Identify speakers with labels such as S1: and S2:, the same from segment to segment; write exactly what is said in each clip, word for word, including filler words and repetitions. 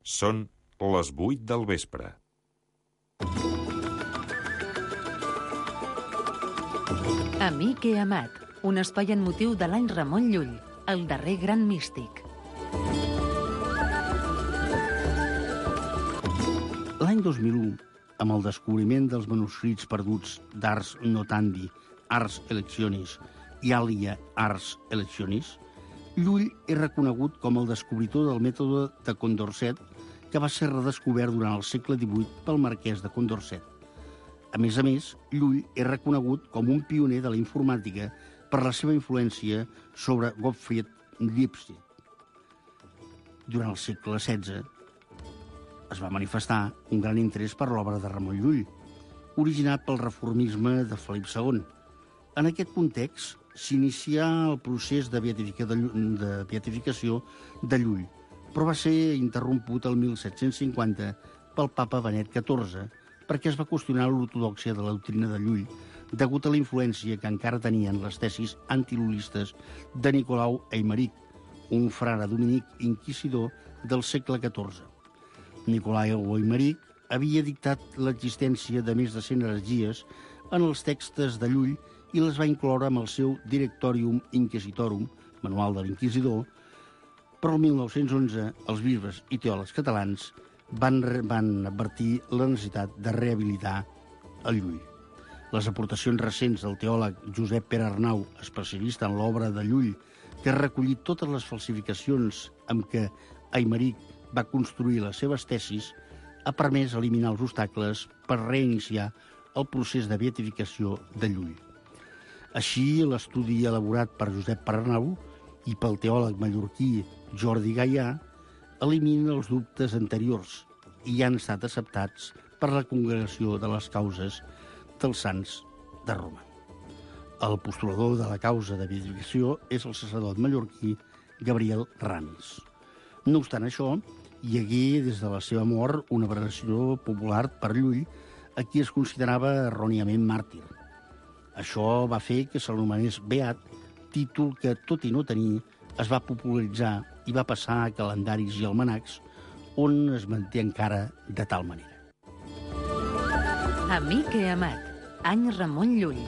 S1: Són les vuit del vespre.
S2: Amic i amat, un espai en motiu de l'any Ramon Llull, el darrer gran místic.
S3: L'any dos mil u, amb el descobriment dels manuscrits perduts d'Ars Notandi, Ars Electionis i Alia Ars Electionis, Llull és reconegut com el descobridor del mètode de Condorcet, que va ser redescobert durant el segle divuit pel marquès de Condorcet. A més a més, Llull és reconegut com un pioner de la informàtica per la seva influència sobre Gottfried Lipset. Durant el segle setze es va manifestar un gran interès per l'obra de Ramon Llull, originat pel reformisme de Felip segon. En aquest context s'inicià el procés de, beatifica de, de beatificació de Llull, però va ser interromput el mil set-cents cinquanta pel papa Benet catorze, perquè es va qüestionar l'ortodòxia de la doctrina de Llull, degut a la influència que encara tenien les tesis antilullistes de Nicolau Aimeric, un frare dominic inquisidor del segle catorze. Nicolau Aimeric havia dictat l'existència de més de cent heretgies en els textos de Llull i les va incloure amb el seu Directorium Inquisitorum, manual de l'inquisidor, però el mil nou-cents onze els bisbes i teòlegs catalans van, van advertir la necessitat de rehabilitar el Llull. Les aportacions recents del teòleg Josep Pere Arnau, especialista en l'obra de Llull, que ha recollit totes les falsificacions amb què Aimeric va construir les seves tesis, ha permès eliminar els obstacles per reiniciar el procés de beatificació de Llull. Així, l'estudi elaborat per Josep Pere Arnau i pel teòleg mallorquí Jordi Gaià elimina els dubtes anteriors i han estat acceptats per la Congregació de les Causes dels Sants de Roma. El postulador de la causa de beatificació és el sacerdot mallorquí Gabriel Ramis. No obstant això, hi hagué des de la seva mort una veneració popular per Llull, a qui es considerava erròniament màrtir. Això va fer que se l'anomenés beat, títol que, tot i no tenir, es va popularitzar i va passar a calendaris i almanacs, on es manté encara de tal manera.
S2: Amic i amat, any Ramon Llull.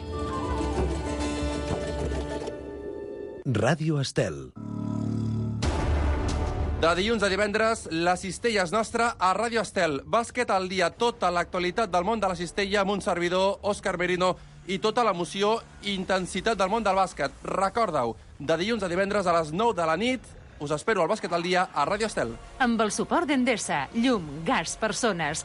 S4: Ràdio Estel.
S5: De dilluns a divendres, la cistella és nostra a Ràdio Estel. Bàsquet al dia, tota l'actualitat del món de la cistella amb un servidor, Òscar Merino, i tota l'emoció i intensitat del món del bàsquet. Recorda-ho, de dilluns a divendres a les nou de la nit, us espero al Bàsquet al dia a Ràdio Estel.
S2: Amb el suport d'Endesa, llum, gas, persones.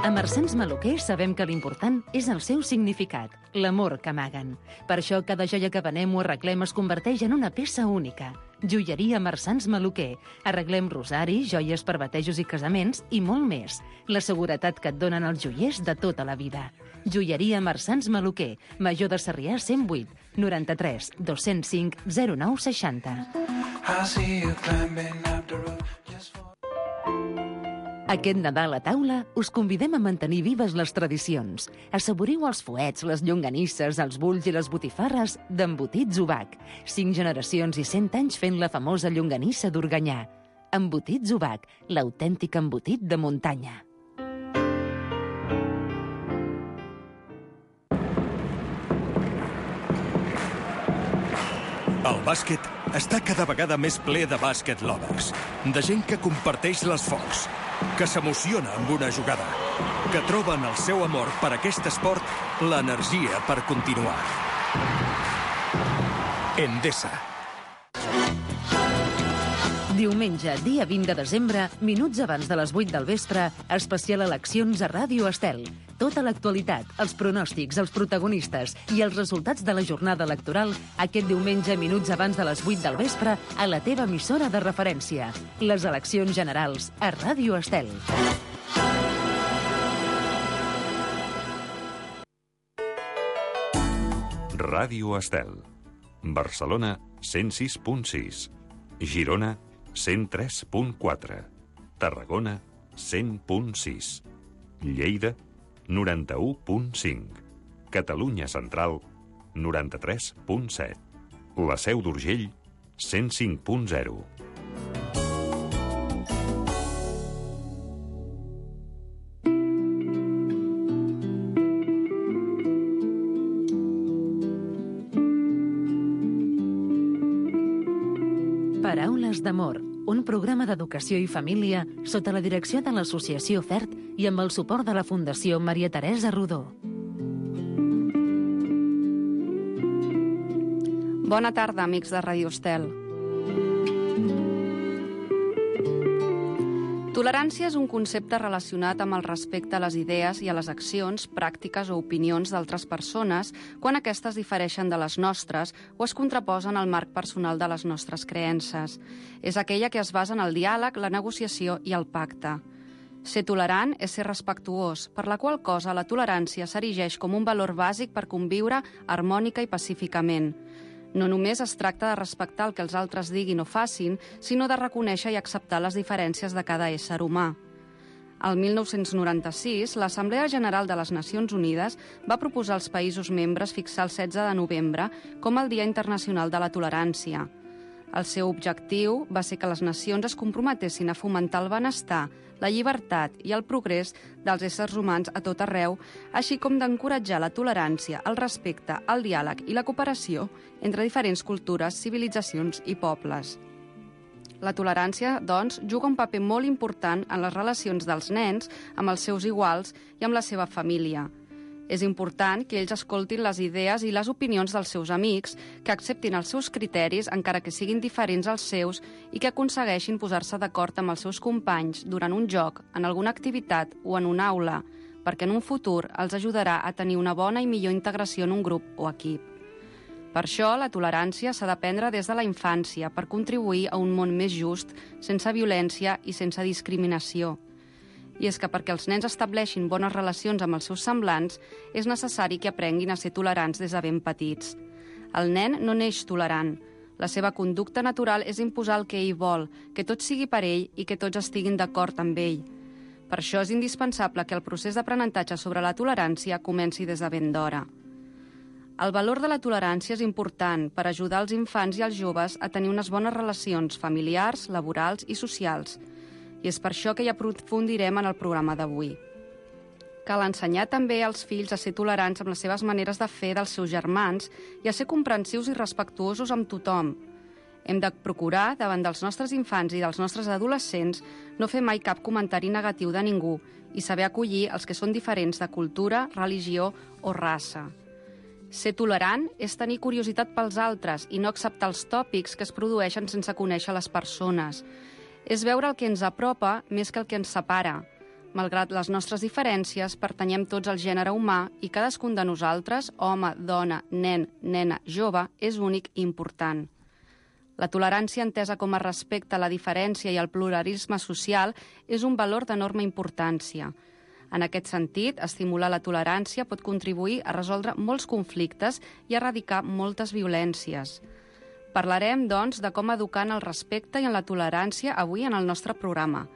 S2: A Marsans Maluquer sabem que l'important és el seu significat, l'amor que amaguen. Per això cada joia que venem o arreglem es converteix en una peça única. Joieria Marsans Maluquer. Arreglem rosaris, joies per batejos i casaments i molt més. La seguretat que et donen els joiers de tota la vida. Joieria Marsans Maluquer. Major de Sarrià cent vuit, noranta-tres, dos-cents cinc, zero nou seixanta. Aquest Nadal a taula us convidem a mantenir vives les tradicions. Assaboriu els fuets, les llonganisses, els bulls i les botifarres d'Embotits Ubac. Cinc generacions i cent anys fent la famosa llonganissa d'Organyà. Embotits Ubac, l'autèntic embotit de muntanya.
S4: El bàsquet està cada vegada més ple de bàsquet lovers, de gent que comparteix l'esforç, que s'emociona amb una jugada, que troben el seu amor per aquest esport, l'energia per continuar. Endesa.
S2: Diumenge, dia vint de desembre, minuts abans de les vuit del vespre, especial eleccions a Ràdio Estel. Tota l'actualitat, els pronòstics, els protagonistes i els resultats de la jornada electoral aquest diumenge, minuts abans de les vuit del vespre, a la teva emissora de referència. Les eleccions generals a Ràdio Estel.
S1: Ràdio Estel. Barcelona, cent sis punt sis. Girona, cent tres punt quatre. Tarragona, cent punt sis. Lleida, noranta-u punt cinc. Catalunya Central, noranta-tres punt set. La Seu d'Urgell, cent cinc punt zero.
S2: Paraules d'amor, un programa d'educació i família sota la direcció de l'Associació FERT i amb el suport de la Fundació Maria Teresa Rodó.
S6: Bona tarda, amics de Ràdio Estel. Tolerància és un concepte relacionat amb el respecte a les idees i a les accions, pràctiques o opinions d'altres persones quan aquestes difereixen de les nostres o es contraposen al marc personal de les nostres creences. És aquella que es basa en el diàleg, la negociació i el pacte. Ser tolerant és ser respectuós, per la qual cosa la tolerància s'erigeix com un valor bàsic per conviure harmònica i pacíficament. No només es tracta de respectar el que els altres diguin o facin, sinó de reconèixer i acceptar les diferències de cada ésser humà. El mil nou-cents noranta-sis, l'Assemblea General de les Nacions Unides va proposar als països membres fixar el setze de novembre com el Dia Internacional de la Tolerància. El seu objectiu va ser que les nacions es comprometessin a fomentar el benestar, la llibertat i el progrés dels éssers humans a tot arreu, així com d'encoratjar la tolerància, el respecte, el diàleg i la cooperació entre diferents cultures, civilitzacions i pobles. La tolerància, doncs, juga un paper molt important en les relacions dels nens amb els seus iguals i amb la seva família. És important que ells escoltin les idees i les opinions dels seus amics, que acceptin els seus criteris, encara que siguin diferents als seus, i que aconsegueixin posar-se d'acord amb els seus companys durant un joc, en alguna activitat o en una aula, perquè en un futur els ajudarà a tenir una bona i millor integració en un grup o equip. Per això, la tolerància s'ha d'aprendre des de la infància per contribuir a un món més just, sense violència i sense discriminació. I és que perquè els nens estableixin bones relacions amb els seus semblants, és necessari que aprenguin a ser tolerants des de ben petits. El nen no neix tolerant. La seva conducta natural és imposar el que ell vol, que tot sigui per ell i que tots estiguin d'acord amb ell. Per això és indispensable que el procés d'aprenentatge sobre la tolerància comenci des de ben d'hora. El valor de la tolerància és important per ajudar els infants i els joves a tenir unes bones relacions familiars, laborals i socials. I és per això que hi aprofundirem en el programa d'avui. Cal ensenyar també als fills a ser tolerants amb les seves maneres de fer dels seus germans i a ser comprensius i respectuosos amb tothom. Hem de procurar, davant dels nostres infants i dels nostres adolescents, no fer mai cap comentari negatiu de ningú i saber acollir els que són diferents de cultura, religió o raça. Ser tolerant és tenir curiositat pels altres i no acceptar els tòpics que es produeixen sense conèixer les persones. És veure el que ens apropa més que el que ens separa. Malgrat les nostres diferències, pertanyem tots al gènere humà i cadascun de nosaltres, home, dona, nen, nena, jove, és únic i important. La tolerància entesa com a respecte a la diferència i al pluralisme social és un valor d'enorme importància. En aquest sentit, estimular la tolerància pot contribuir a resoldre molts conflictes i a erradicar moltes violències. Parlarem, doncs, de com educar en el respecte i en la tolerància avui en el nostre programa.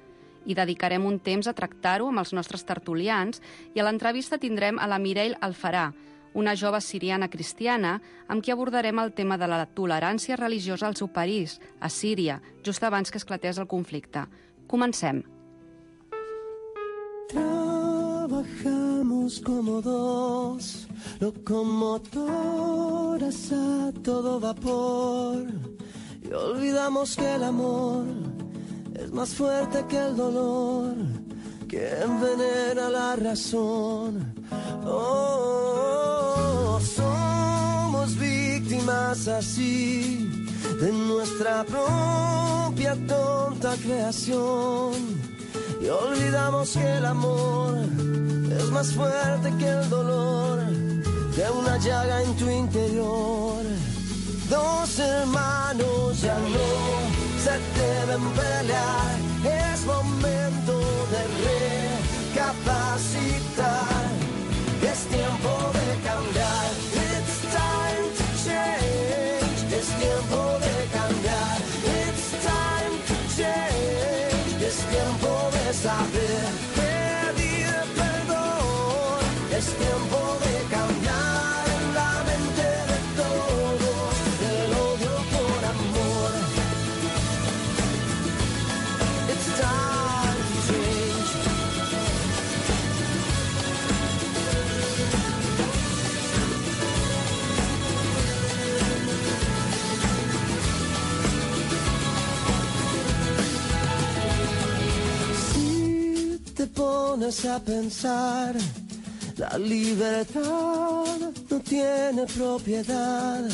S6: I dedicarem un temps a tractar-ho amb els nostres tertulians i a l'entrevista tindrem a la Mireille Alfarà, una jove siriana cristiana amb qui abordarem el tema de la tolerància religiosa al seu país, a Síria, just abans que esclatés el conflicte. Comencem.
S7: Trabajamos como dos locomotoras a todo vapor y olvidamos que el amor es más fuerte que el dolor que envenena la razón. Oh, somos víctimas así de nuestra propia tonta creación y olvidamos que el amor es más fuerte que el dolor de una llaga en tu interior. Dos hermanos ya no se deben pelear, es momento de recapacitar, es tiempo de cambiar. It's time to change, es tiempo de cambiar. It's time to change, es tiempo de saber pedir perdón, es tiempo de cambiar en la mente de todos el odio por amor. It's time to change. pones a pensar, la libertad no tiene propiedad.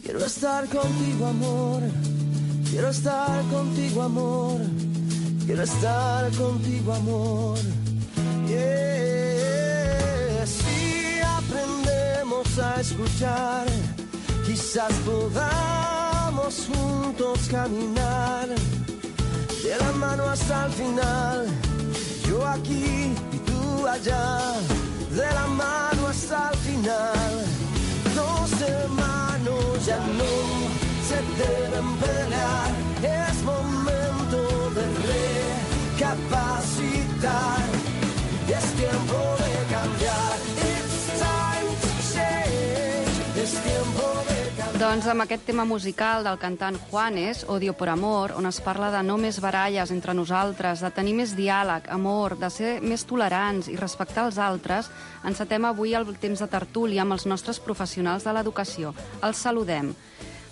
S7: Quiero estar contigo, amor. Quiero estar contigo, amor. Quiero estar contigo, amor. Yeah. Si aprendemos a escuchar, quizás podamos juntos caminar de la mano hasta el final. Yo aquí y tú allá, de la mano hasta el final. Dos hermanos ya no se deben pelear. Es momento de recapacitar. Es tiempo de cambiar. It's time to change. Es tiempo de cambiar.
S6: Doncs amb aquest tema musical del cantant Juanes, Odio por amor, on es parla de no més baralles entre nosaltres, de tenir més diàleg, amor, de ser més tolerants i respectar els altres, encetem avui el temps de tertúlia amb els nostres professionals de l'educació. Els saludem.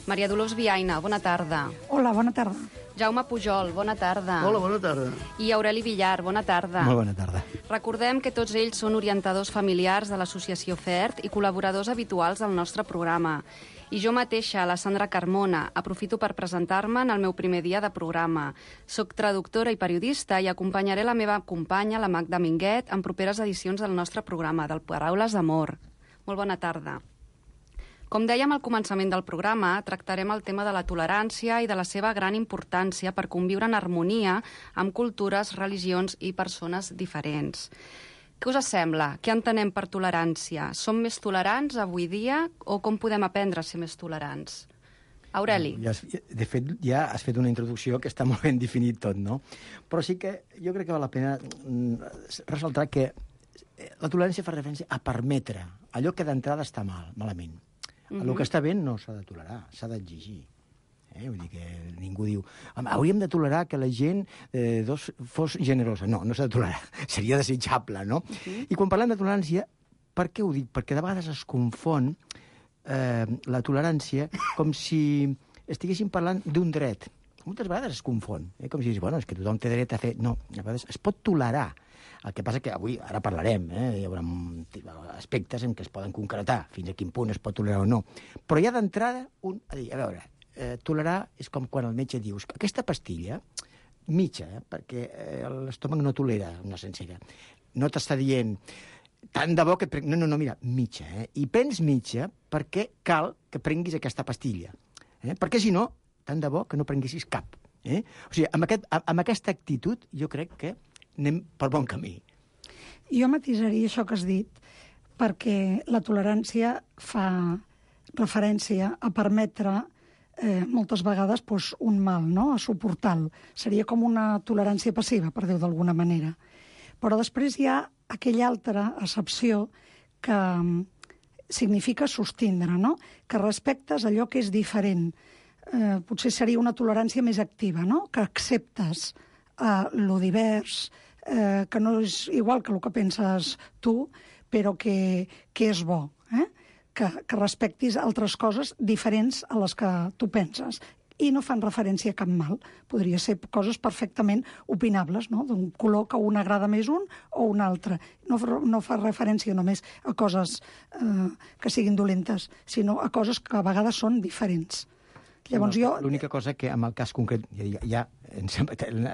S6: Maria Dolors Viaina, bona tarda.
S8: Hola, bona tarda.
S6: Jaume Pujol, bona tarda.
S3: Hola, bona tarda.
S6: I Aureli Villar, bona tarda.
S9: Molt bona tarda.
S6: Recordem que tots ells són orientadors familiars de l'associació FERT i col·laboradors habituals del nostre programa. I jo mateixa, la Sandra Carmona, aprofito per presentar-me en el meu primer dia de programa. Soc traductora i periodista i acompanyaré la meva companya, la Magda Minguet, en properes edicions del nostre programa, del Paraules d'Amor. Molt bona tarda. Com dèiem al començament del programa, tractarem el tema de la tolerància i de la seva gran importància per conviure en harmonia amb cultures, religions i persones diferents. Què us sembla? Què entenem per tolerància? Som més tolerants avui dia o com podem aprendre a ser més tolerants? Aureli.
S9: Ja, de fet, ja has fet una introducció que està molt ben definit tot, no? Però sí que jo crec que val la pena ressaltar que la tolerància fa referència a permetre allò que d'entrada està mal, malament. Mm-hmm. El que està bé no s'ha de tolerar, s'ha d'exigir. Eh? Vull dir que ningú diu hauríem de tolerar que la gent eh, dos, fos generosa. No, no s'ha de tolerar. Seria desitjable, no? Uh-huh. I quan parlem de tolerància, per què ho dic? Perquè de vegades es confon eh, la tolerància com si estiguéssim parlant d'un dret. Moltes vegades es confon. Eh? Com si digués, bueno, és que tothom té dret a fer... No, a vegades es pot tolerar. El que passa que avui, ara parlarem, eh? Hi haurà aspectes en què es poden concretar fins a quin punt es pot tolerar o no. Però hi ha d'entrada un... A dir, a veure, eh, tolerar és com quan el metge dius aquesta pastilla, mitja, eh, perquè eh, l'estómac no tolera una sencera, no t'està dient tant de bo que... Pre... No, no, no, mira, mitja, eh? I prens mitja perquè cal que prenguis aquesta pastilla. Eh? Perquè si no, tant de bo que no prenguessis cap. Eh? O sigui, amb, aquest, amb aquesta actitud jo crec que anem per bon camí.
S8: Jo matisaria això que has dit, perquè la tolerància fa referència a permetre eh, moltes vegades doncs, un mal, no? A suportar-lo. Seria com una tolerància passiva, per dir-ho d'alguna manera. Però després hi ha aquella altra accepció que significa sostindre, no? Que respectes allò que és diferent. Eh, potser seria una tolerància més activa, no? Que acceptes eh, lo divers, eh, que no és igual que el que penses tu, però que, que és bo, eh? que, que respectis altres coses diferents a les que tu penses. I no fan referència a cap mal. Podria ser coses perfectament opinables, no? D'un color que un agrada més un o un altre. No, no fa referència només a coses eh, que siguin dolentes, sinó a coses que a vegades són diferents. Llavors jo...
S9: L'única cosa que en el cas concret, ja, ja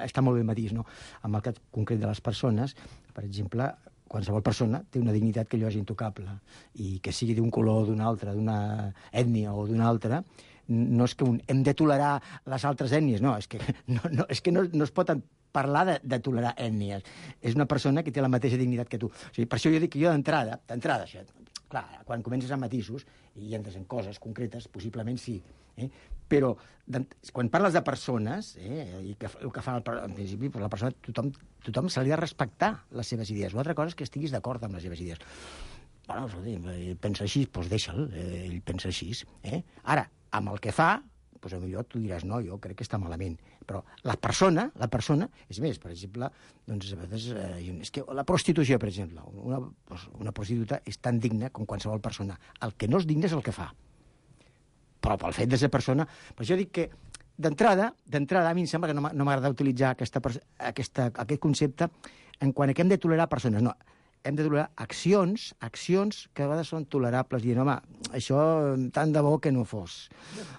S9: està molt ben matís, no? En el cas concret de les persones, per exemple, qualsevol persona té una dignitat que allò és intocable, i que sigui d'un color, d'un altre, d'una ètnia o d'una altra, no és que un, hem de tolerar les altres ètnies, no, és que no, no, és que no, no es pot parlar de, de tolerar ètnies. És una persona que té la mateixa dignitat que tu. O sigui, per això jo dic que jo d'entrada, d'entrada, això, clar, quan comences amb matisos i entres en coses concretes, possiblement sí, eh? Però quan parles de persones, eh, i que, el que fa el, en principi, la persona, tothom, tothom se li ha de respectar les seves idees. Una altra cosa és que estiguis d'acord amb les seves idees. Bueno, ell pensa així, doncs deixa'l, ell pensa així. Eh? Ara, amb el que fa, doncs potser tu diràs, no, jo crec que està malament. Però la persona, la persona, és més, per exemple, doncs a vegades, eh, és que la prostitució, per exemple, una, una prostituta és tan digna com qualsevol persona. El que no és digne és el que fa. Però pel fet de ser persona... Per això dic que d'entrada, d'entrada, a mi em sembla que no m'agrada utilitzar aquesta, aquesta, aquest concepte en quant a que hem de tolerar persones. No, hem de tolerar accions, accions que a vegades són tolerables, dient, home, això tant de bo que no fos.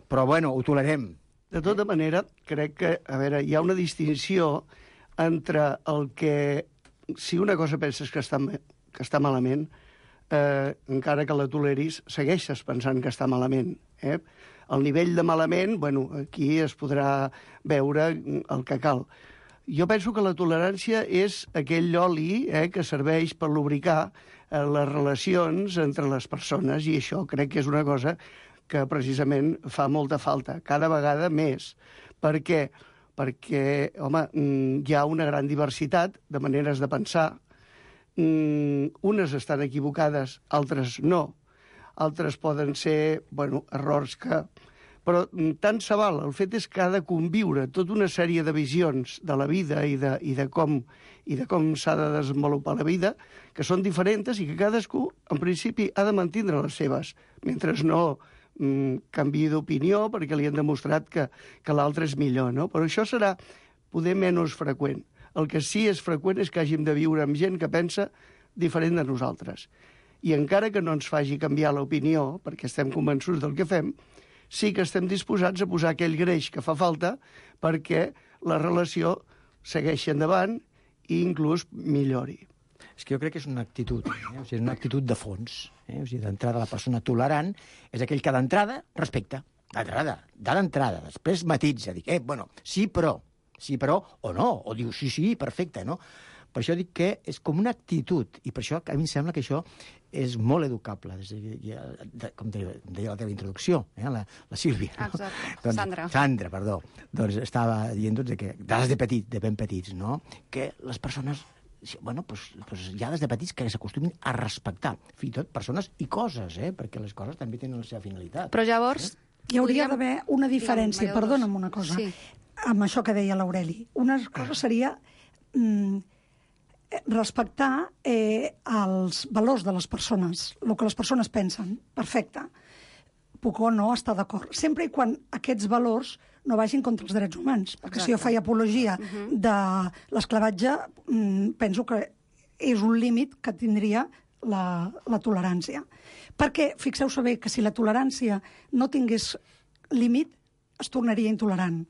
S9: Però, bueno, ho tolerem.
S10: De tota manera, crec que, a veure, hi ha una distinció entre el que, si una cosa penses que està, que està malament, eh, encara que la toleris, segueixes pensant que està malament. Eh? El nivell de malament, bueno, aquí es podrà veure el que cal. Jo penso que la tolerància és aquell oli eh, que serveix per lubricar eh, les relacions entre les persones, i això crec que és una cosa que precisament fa molta falta, cada vegada més. Per què? Perquè, home, hi ha una gran diversitat de maneres de pensar. Unes estan equivocades, altres no. Altres poden ser, bueno, errors que... Però tant se val. El fet és que ha de conviure tota una sèrie de visions de la vida i de, i de com, i de com s'ha de desenvolupar la vida, que són diferents i que cadascú, en principi, ha de mantindre les seves, mentre no mm, canviï d'opinió perquè li han demostrat que, que l'altre és millor, no? Però això serà poder menys freqüent. El que sí és freqüent és que hàgim de viure amb gent que pensa diferent de nosaltres. I encara que no ens faci canviar l'opinió, perquè estem convençuts del que fem, sí que estem disposats a posar aquell greix que fa falta perquè la relació segueixi endavant i inclús millori.
S9: És que jo crec que és una actitud, eh? O sigui, una actitud de fons. Eh? O sigui, d'entrada la persona tolerant és aquell que d'entrada respecta. D'entrada, d'entrada. Després matitza, dic, eh, bueno, sí però, sí però, o no, o diu sí, sí, perfecte, no? Per això dic que és com una actitud, i per això a mi em sembla que això és molt educable, des de, ja, de, com deia, deia la teva introducció, eh, la, la Sílvia. No?
S6: Exacte,
S9: doncs,
S6: Sandra.
S9: Sandra, perdó. Doncs estava dient doncs, que, des de petit, de ben petits, no? Que les persones, bueno, pues, pues ja des de petits que s'acostumin a respectar, fins i tot persones i coses, eh? Perquè les coses també tenen la seva finalitat.
S6: Però llavors...
S9: Eh?
S8: Hi hauria
S6: podríem...
S8: d'haver una diferència,
S6: Digue'm,
S8: perdona'm una cosa,
S6: sí.
S8: amb això que deia l'Aureli. Una cosa seria mm, respectar eh, els valors de les persones, el que les persones pensen. Perfecte. Puc o no estar d'acord. Sempre i quan aquests valors no vagin contra els drets humans. Perquè Exacte. Si jo faig apologia uh-huh. de l'esclavatge, mm, penso que és un límit que tindria la, la tolerància. Perquè fixeu-vos bé que si la tolerància no tingués límit, es tornaria intolerant.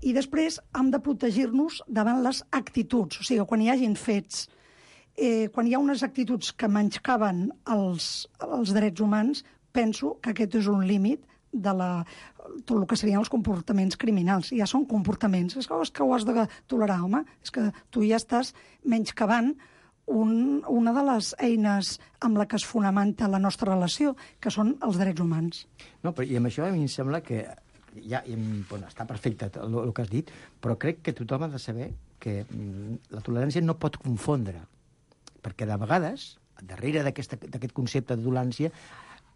S8: I després hem de protegir-nos davant les actituds, o sigui, quan hi hagin fets, eh, quan hi ha unes actituds que menyscaven els, els drets humans, penso que aquest és un límit de la, tot el que serien els comportaments criminals. Ja són comportaments. És que, és que ho has de tolerar, home. És que tu ja estàs menyscabant un, una de les eines amb la que es fonamenta la nostra relació, que són els drets humans.
S9: No, però i amb això a mi em sembla que ja, bueno, està perfecte el, el que has dit, però crec que tothom ha de saber que la tolerància no pot confondre, perquè de vegades, darrere d'aquest concepte de tolerància,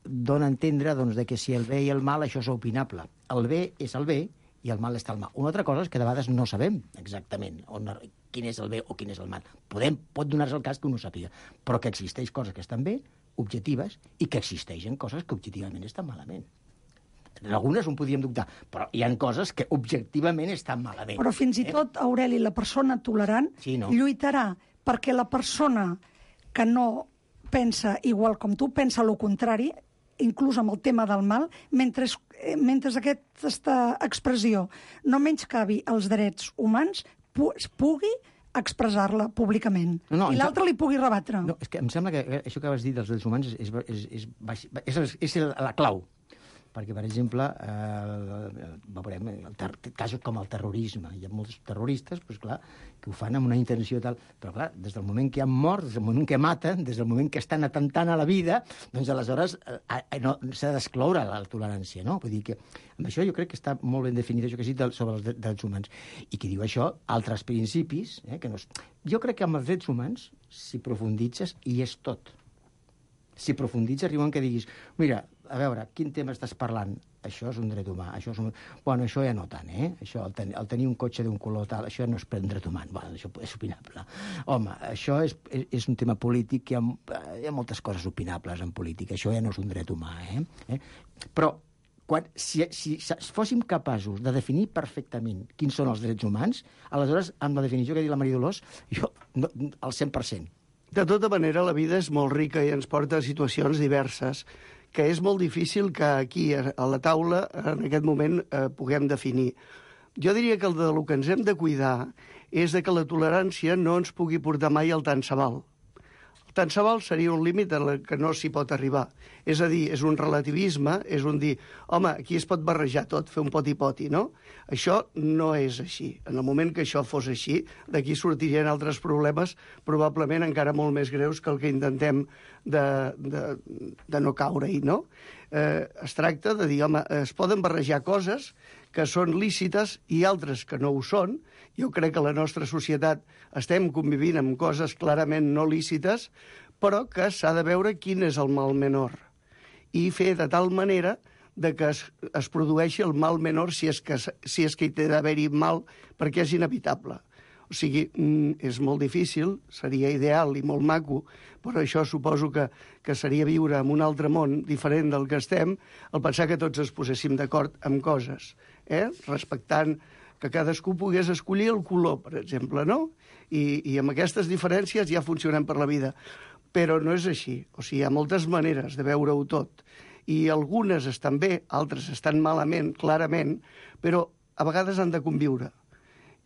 S9: dona a entendre doncs, de que si el bé i el mal això és opinable. El bé és el bé i el mal està al mal. Una altra cosa és que de vegades no sabem exactament on, quin és el bé o quin és el mal. Podem, pot donar-se el cas que un ho sàpiga, però que existeix coses que estan bé, objectives, i que existeixen coses que objectivament estan malament. En algunes un podríem dubtar, però hi ha coses que objectivament estan malament.
S8: Però fins i tot, Aureli, la persona tolerant
S9: sí, no?
S8: lluitarà perquè la persona que no pensa igual com tu, pensa el contrari, inclús amb el tema del mal, mentre, mentre aquesta expressió no menyscabi els drets humans, pu pugui expressar-la públicament. No, no, I l'altre li pugui rebatre.
S9: No, és que em sembla que això que vas dir dels drets humans és, és, és, és, és, és la clau. Perquè, per exemple, eh, veurem ter casos com el terrorisme. Hi ha molts terroristes, doncs, clar, que ho fan amb una intenció tal. Però, clar, des del moment que han mort, des del moment que maten, des del moment que estan atentant a la vida, doncs, aleshores, eh, no, s'ha d'excloure la tolerància, no? Vull dir que amb això jo crec que està molt ben definit això que has dit sobre els drets humans. I qui diu això, altres principis, eh, que no és... Jo crec que amb els drets humans, si profunditzes, hi és tot. Si profunditzes, arriben que diguis, mira, a veure, quin tema estàs parlant? Això és un dret humà, això és un... Bueno, això ja no tant, eh? Això, el, ten... el tenir un cotxe d'un color tal, això no és un dret humà. Bueno, això és opinable. Home, això és, és, és un tema polític, hi ha, hi ha moltes coses opinables en política, això ja no és un dret humà, eh? eh? Però quan, si, si, si fóssim capaços de definir perfectament quins són els drets humans, aleshores, amb la definició que ha dit la Maria Dolors, jo, no, al cent per cent.
S10: De tota manera, la vida és molt rica i ens porta a situacions diverses que és molt difícil que aquí, a la taula, en aquest moment, eh, puguem definir. Jo diria que el, de, el que ens hem de cuidar és de que la tolerància no ens pugui portar mai al tant se val. Tant se val seria un límit en el que no s'hi pot arribar. És a dir, és un relativisme, és un dir, home, aquí es pot barrejar tot, fer un poti-poti, no? Això no és així. En el moment que això fos així, d'aquí sortirien altres problemes, probablement encara molt més greus que el que intentem de, de, de no caure-hi, no? Eh, es tracta de dir, home, es poden barrejar coses que són lícites i altres que no ho són. Jo crec que a la nostra societat estem convivint amb coses clarament no lícites, però que s'ha de veure quin és el mal menor i fer de tal manera de que es, es produeixi el mal menor si és que, si és que hi té d'haver-hi mal, perquè és inevitable. O sigui, és molt difícil, seria ideal i molt maco, però això suposo que, que seria viure en un altre món diferent del que estem, el pensar que tots es poséssim d'acord amb coses, eh? Respectant que cadascú pogués escollir el color, per exemple, no? I, i amb aquestes diferències ja funcionem per la vida. Però no és així. O sigui, hi ha moltes maneres de veure-ho tot. I algunes estan bé, altres estan malament, clarament, però a vegades han de conviure.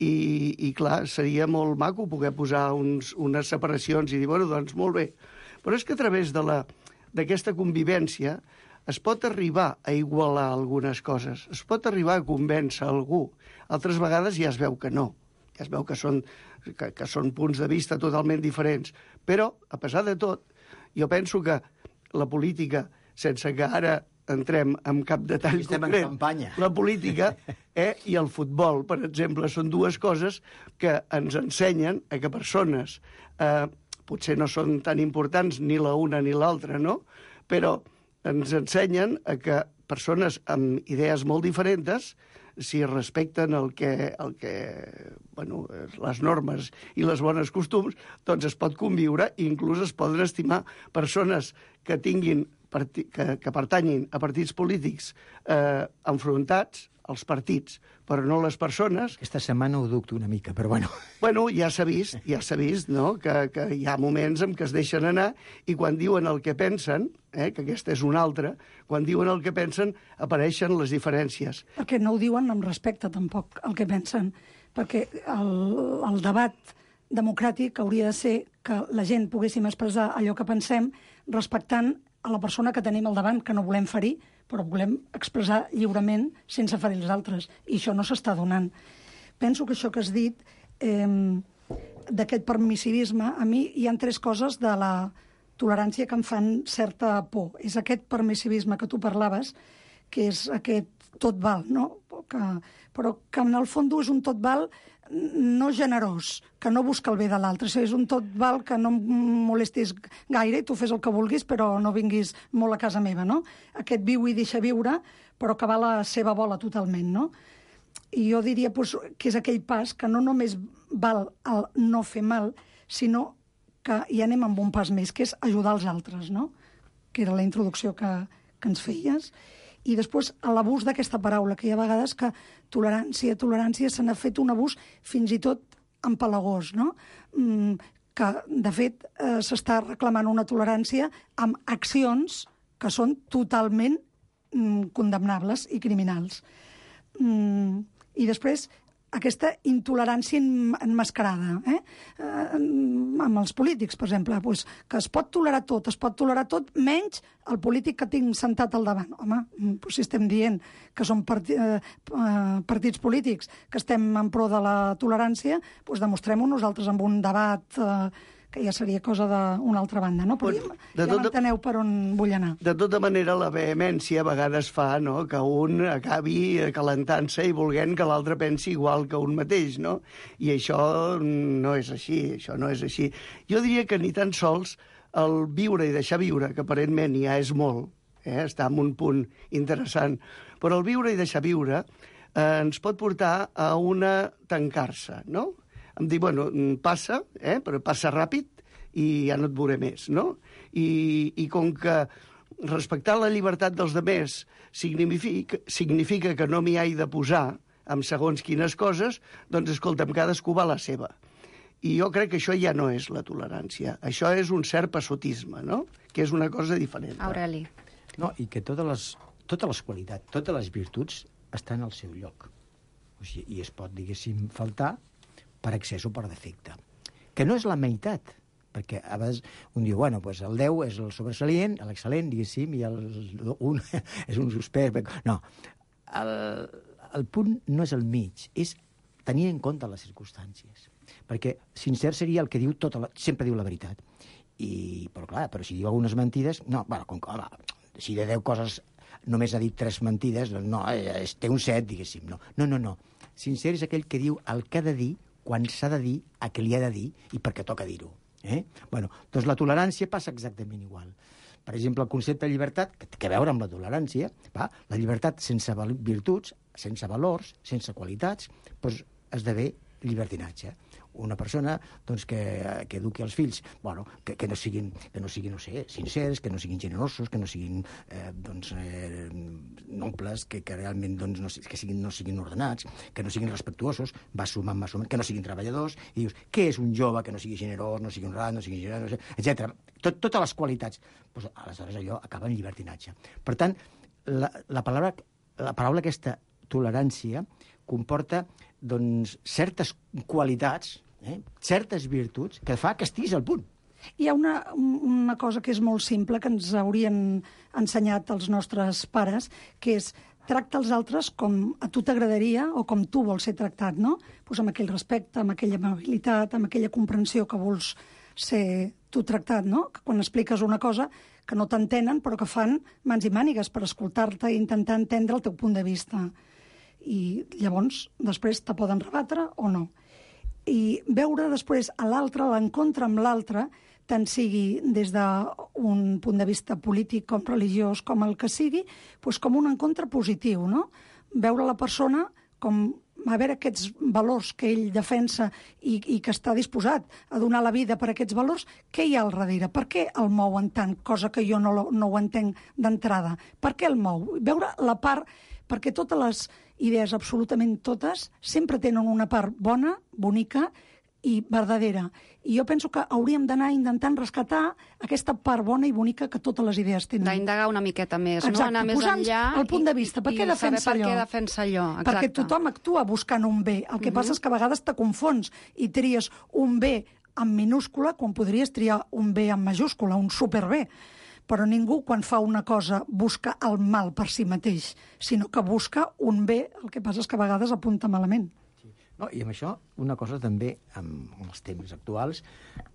S10: I, i clar, seria molt maco poder posar uns, unes separacions i dir, bueno, doncs molt bé. Però és que a través de la, d'aquesta convivència es pot arribar a igualar algunes coses, es pot arribar a convèncer algú. Altres vegades ja es veu que no, ja es veu que són, que, que són punts de vista totalment diferents. Però, a pesar de tot, jo penso que la política, sense que ara entrem en cap detall
S9: Estem
S10: concret,
S9: en campanya.
S10: La política eh, i el futbol, per exemple, són dues coses que ens ensenyen a que persones eh, potser no són tan importants ni la una ni l'altra, no? Però ens ensenyen a que persones amb idees molt diferents, si respecten el que, el que, bueno, les normes i les bones costums, doncs es pot conviure i inclús es poden estimar persones que tinguin que, que pertanyin a partits polítics eh, enfrontats als partits, però no les persones.
S9: Aquesta setmana ho dubto una mica, però bueno.
S10: Bueno, ja s'ha vist, ja s'ha vist, no?, que, que hi ha moments en què es deixen anar i quan diuen el que pensen, eh, que aquesta és una altra, quan diuen el que pensen apareixen les diferències.
S8: Perquè no ho diuen amb respecte, tampoc, el que pensen. Perquè el, el debat democràtic hauria de ser que la gent poguéssim expressar allò que pensem respectant a la persona que tenim al davant, que no volem ferir, però volem expressar lliurement sense ferir els altres. I això no s'està donant. Penso que això que has dit, eh, d'aquest permissivisme, a mi hi ha tres coses de la tolerància que em fan certa por. És aquest permissivisme que tu parlaves, que és aquest tot val, no? Que, però que en el fons és un tot val no generós, que no busca el bé de l'altre. O sigui, és un tot val que no em molestis gaire i tu fes el que vulguis, però no vinguis molt a casa meva, no? Aquest viu i deixa viure, però que va a la seva bola totalment, no? I jo diria pues, que és aquell pas que no només val el no fer mal, sinó que hi anem amb un pas més, que és ajudar els altres, no? Que era la introducció que, que ens feies. I després l'abús d'aquesta paraula, que hi ha vegades que tolerància, tolerància, se n'ha fet un abús fins i tot empalagós, no? Mm, que, de fet, eh, s'està reclamant una tolerància amb accions que són totalment mm, condemnables i criminals. Mm, I després, aquesta intolerància enmascarada, eh? eh? amb els polítics, per exemple, pues, que es pot tolerar tot, es pot tolerar tot, menys el polític que tinc sentat al davant. Home, pues, si estem dient que som parti, eh, partits polítics, que estem en pro de la tolerància, pues, demostrem-ho nosaltres amb un debat eh, que ja seria cosa d'una altra banda, no? Però ja, ja tota, m'enteneu per on vull anar.
S10: De tota manera, la vehemència a vegades fa, no?, que un acabi calentant-se i volent que l'altre pensi igual que un mateix, no? I això no és així, això no és així. Jo diria que ni tan sols el viure i deixar viure, que aparentment ja és molt, eh? Està en un punt interessant, però el viure i deixar viure eh, ens pot portar a una tancar-se, no? Em dic, bueno, passa, eh, però passa ràpid i ja no et veuré més, no? I, i com que respectar la llibertat dels demés significa, significa que no m'hi he de posar amb segons quines coses, doncs, escolta'm, cadascú va a la seva. I jo crec que això ja no és la tolerància. Això és un cert passotisme, no? Que és una cosa diferent.
S6: Aureli.
S9: No, i que totes les, totes les qualitats, totes les virtuts estan al seu lloc. O sigui, i es pot, diguéssim, faltar per excés o per defecte. Que no és la meitat, perquè a vegades un diu, bueno, pues el deu és el sobresalient, l'excel·lent, diguéssim, i el un és un suspect. No, el, el punt no és el mig, és tenir en compte les circumstàncies. Perquè sincer seria el que diu tota la, sempre diu la veritat. I, però clar, però si diu algunes mentides, no, bueno, com, home, si de deu coses només ha dit tres mentides, doncs no, es, té un set, diguéssim. No, no, no, no. Sincer és aquell que diu el que ha de dir, quan s'ha de dir, a què li ha de dir i per què toca dir-ho. Eh? Bueno, doncs la tolerància passa exactament igual. Per exemple, el concepte de llibertat, que té a veure amb la tolerància, va? La llibertat sense virtuts, sense valors, sense qualitats, doncs esdevé llibertinatge. Una persona doncs, que, que eduqui els fills, bueno, que, que no siguin, que no siguin, no sé, sincers, que no siguin generosos, que no siguin eh, doncs, eh, nobles, que, que realment doncs, no, que siguin, no siguin ordenats, que no siguin respectuosos, va sumant, va sumant, que no siguin treballadors, i dius, què és un jove que no sigui generós, no sigui honrat, no sigui generós, etcètera. Tot, totes les qualitats. Pues, aleshores allò acaba en llibertinatge. Per tant, la, la, paraula, la paraula aquesta tolerància comporta doncs, certes qualitats, eh, certes virtuts, que fa que estiguis al punt.
S8: Hi ha una, una cosa que és molt simple, que ens haurien ensenyat els nostres pares, que és tracta els altres com a tu t'agradaria o com tu vols ser tractat, no? Pues amb aquell respecte, amb aquella amabilitat, amb aquella comprensió que vols ser tu tractat, no? Que quan expliques una cosa que no t'entenen, però que fan mans i mànigues per escoltar-te i intentar entendre el teu punt de vista. I llavors, després, te poden rebatre o no. I veure després a l'altre, l'encontre amb l'altre, tant sigui des d'un punt de vista polític com religiós, com el que sigui, doncs com un encontre positiu, no? Veure la persona com a veure aquests valors que ell defensa i, i que està disposat a donar la vida per aquests valors, què hi ha al darrere? Per què el mouen tant? Cosa que jo no, no ho entenc d'entrada. Per què el mou? Veure la part... Perquè totes les idees, absolutament totes, sempre tenen una part bona, bonica i verdadera. I jo penso que hauríem d'anar intentant rescatar aquesta part bona i bonica que totes les idees tenen.
S6: D'indagar una miqueta més,
S8: exacte,
S6: no? Anar més enllà
S8: el punt de vista. Per
S6: i,
S8: què defensa
S6: saber
S8: allò?
S6: per què defensa allò. Exacte.
S8: Perquè tothom actua buscant un bé. El que uh-huh. passa és que a vegades te confons i tries un bé en minúscula quan podries triar un bé en majúscula, un superbé. Però ningú, quan fa una cosa, busca el mal per si mateix, sinó que busca un bé. El que passa és que a vegades apunta malament.
S9: Sí. No, i amb això, una cosa també, amb els temps actuals,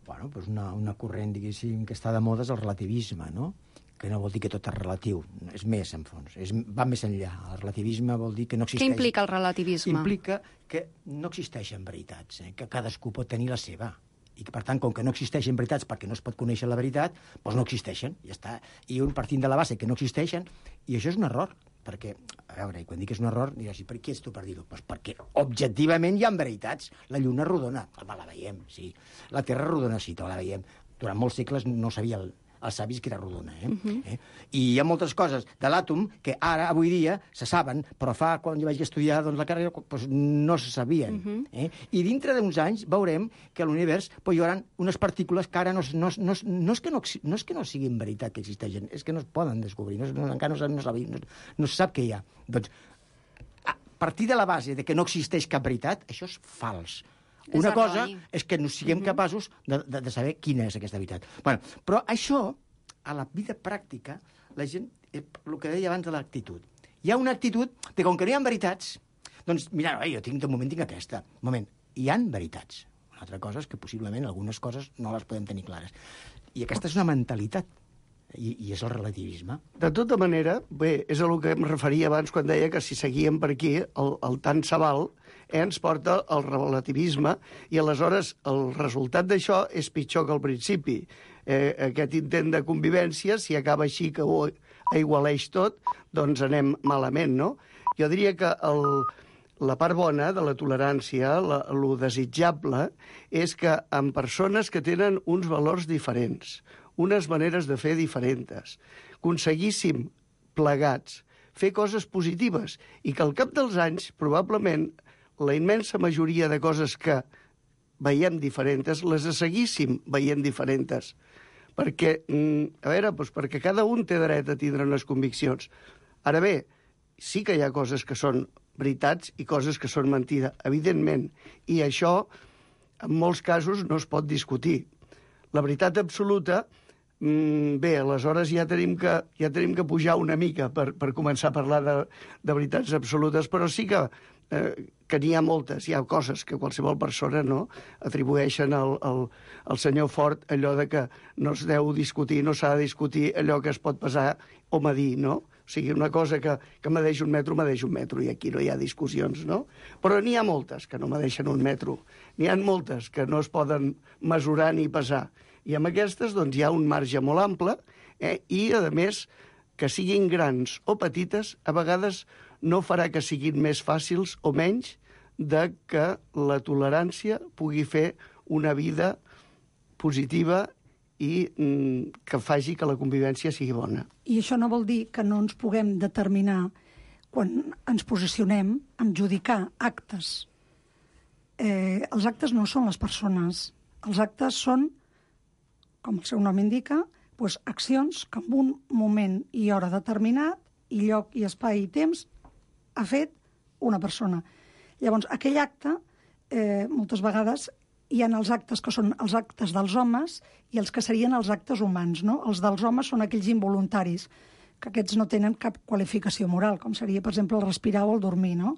S9: bueno, doncs una, una corrent, diguéssim, que està de moda és el relativisme, no? Que no vol dir que tot és relatiu, és més, en fons, és, va més enllà. El relativisme vol dir que no existeix...
S6: Què implica el relativisme?
S9: Implica que no existeixen veritats, eh? Que cadascú pot tenir la seva. I que, per tant, com que no existeixen veritats perquè no es pot conèixer la veritat, doncs no existeixen, ja està. I un partint de la base que no existeixen, i això és un error, perquè, a veure, i quan dic que és un error, diràs, per qui ets tu per dir-ho? Doncs perquè objectivament hi ha veritats. La lluna rodona, home, la veiem, sí. La Terra rodona, sí, la veiem. Durant molts segles no sabia el, els savis que era rodona, eh? Uh-huh. eh? I hi ha moltes coses de l'àtom que ara, avui dia, se saben, però fa, quan jo vaig estudiar doncs, la carrera, doncs, no se sabien. Uh-huh. eh? I dintre d'uns anys veurem que a l'univers doncs, hi haurà unes partícules que ara no, no, no, no, és que no, no és que no siguin veritat que existeixen, és que no es poden descobrir, no, no, encara no, no, no, no se sap què hi ha. Doncs, a partir de la base de que no existeix cap veritat, això és fals. Una cosa és que no siguem uh-huh. capaços de, de, de saber quina és aquesta veritat. Bueno, però això, a la vida pràctica, la gent, el que deia abans de l'actitud. Hi ha una actitud de com que no hi ha veritats, doncs, mira, no, jo tinc, de moment tinc aquesta. Un moment, hi han veritats. Una altra cosa és que possiblement algunes coses no les podem tenir clares. I aquesta és una mentalitat. I, i és el relativisme.
S10: De tota manera, bé, és a el que em referia abans quan deia que si seguíem per aquí, el, el tant se val, eh, ens porta al relativisme, i aleshores el resultat d'això és pitjor que al principi. Eh, aquest intent de convivència, si acaba així que ho aigualeix tot, doncs anem malament, no? Jo diria que el, la part bona de la tolerància, la, lo desitjable, és que en persones que tenen uns valors diferents, unes maneres de fer diferents, aconseguíssim plegats fer coses positives i que al cap dels anys, probablement, la immensa majoria de coses que veiem diferents, les seguíssim veient diferents. Perquè, a veure, doncs perquè cada un té dret a tindre unes conviccions. Ara bé, sí que hi ha coses que són veritats i coses que són mentida, evidentment. I això, en molts casos, no es pot discutir. La veritat absoluta, bé, aleshores ja tenim que, ja tenim que pujar una mica per, per començar a parlar de, de veritats absolutes, però sí que Eh, que n'hi ha moltes, hi ha coses que qualsevol persona no atribueixen al, al, al senyor Ford allò de que no es deu discutir, no s'ha de discutir allò que es pot pesar o medir, no? O sigui, una cosa que, que medeix un metro, medeix un metro, i aquí no hi ha discussions, no? Però n'hi ha moltes que no medeixen un metro, n'hi ha moltes que no es poden mesurar ni pesar, i amb aquestes doncs, hi ha un marge molt ample, eh? I, a més, que siguin grans o petites, a vegades no farà que siguin més fàcils o menys de que la tolerància pugui fer una vida positiva i mm, que faci que la convivència sigui bona.
S8: I això no vol dir que no ens puguem determinar, quan ens posicionem, en judicar actes. Eh, els actes no són les persones. Els actes són, com el seu nom indica, doncs, accions que en un moment i hora determinat, i lloc i espai i temps, ha fet una persona. Llavors, aquell acte, eh, moltes vegades, hi ha els actes que són els actes dels homes i els que serien els actes humans, no? Els dels homes són aquells involuntaris, que aquests no tenen cap qualificació moral, com seria, per exemple, el respirar o el dormir, no?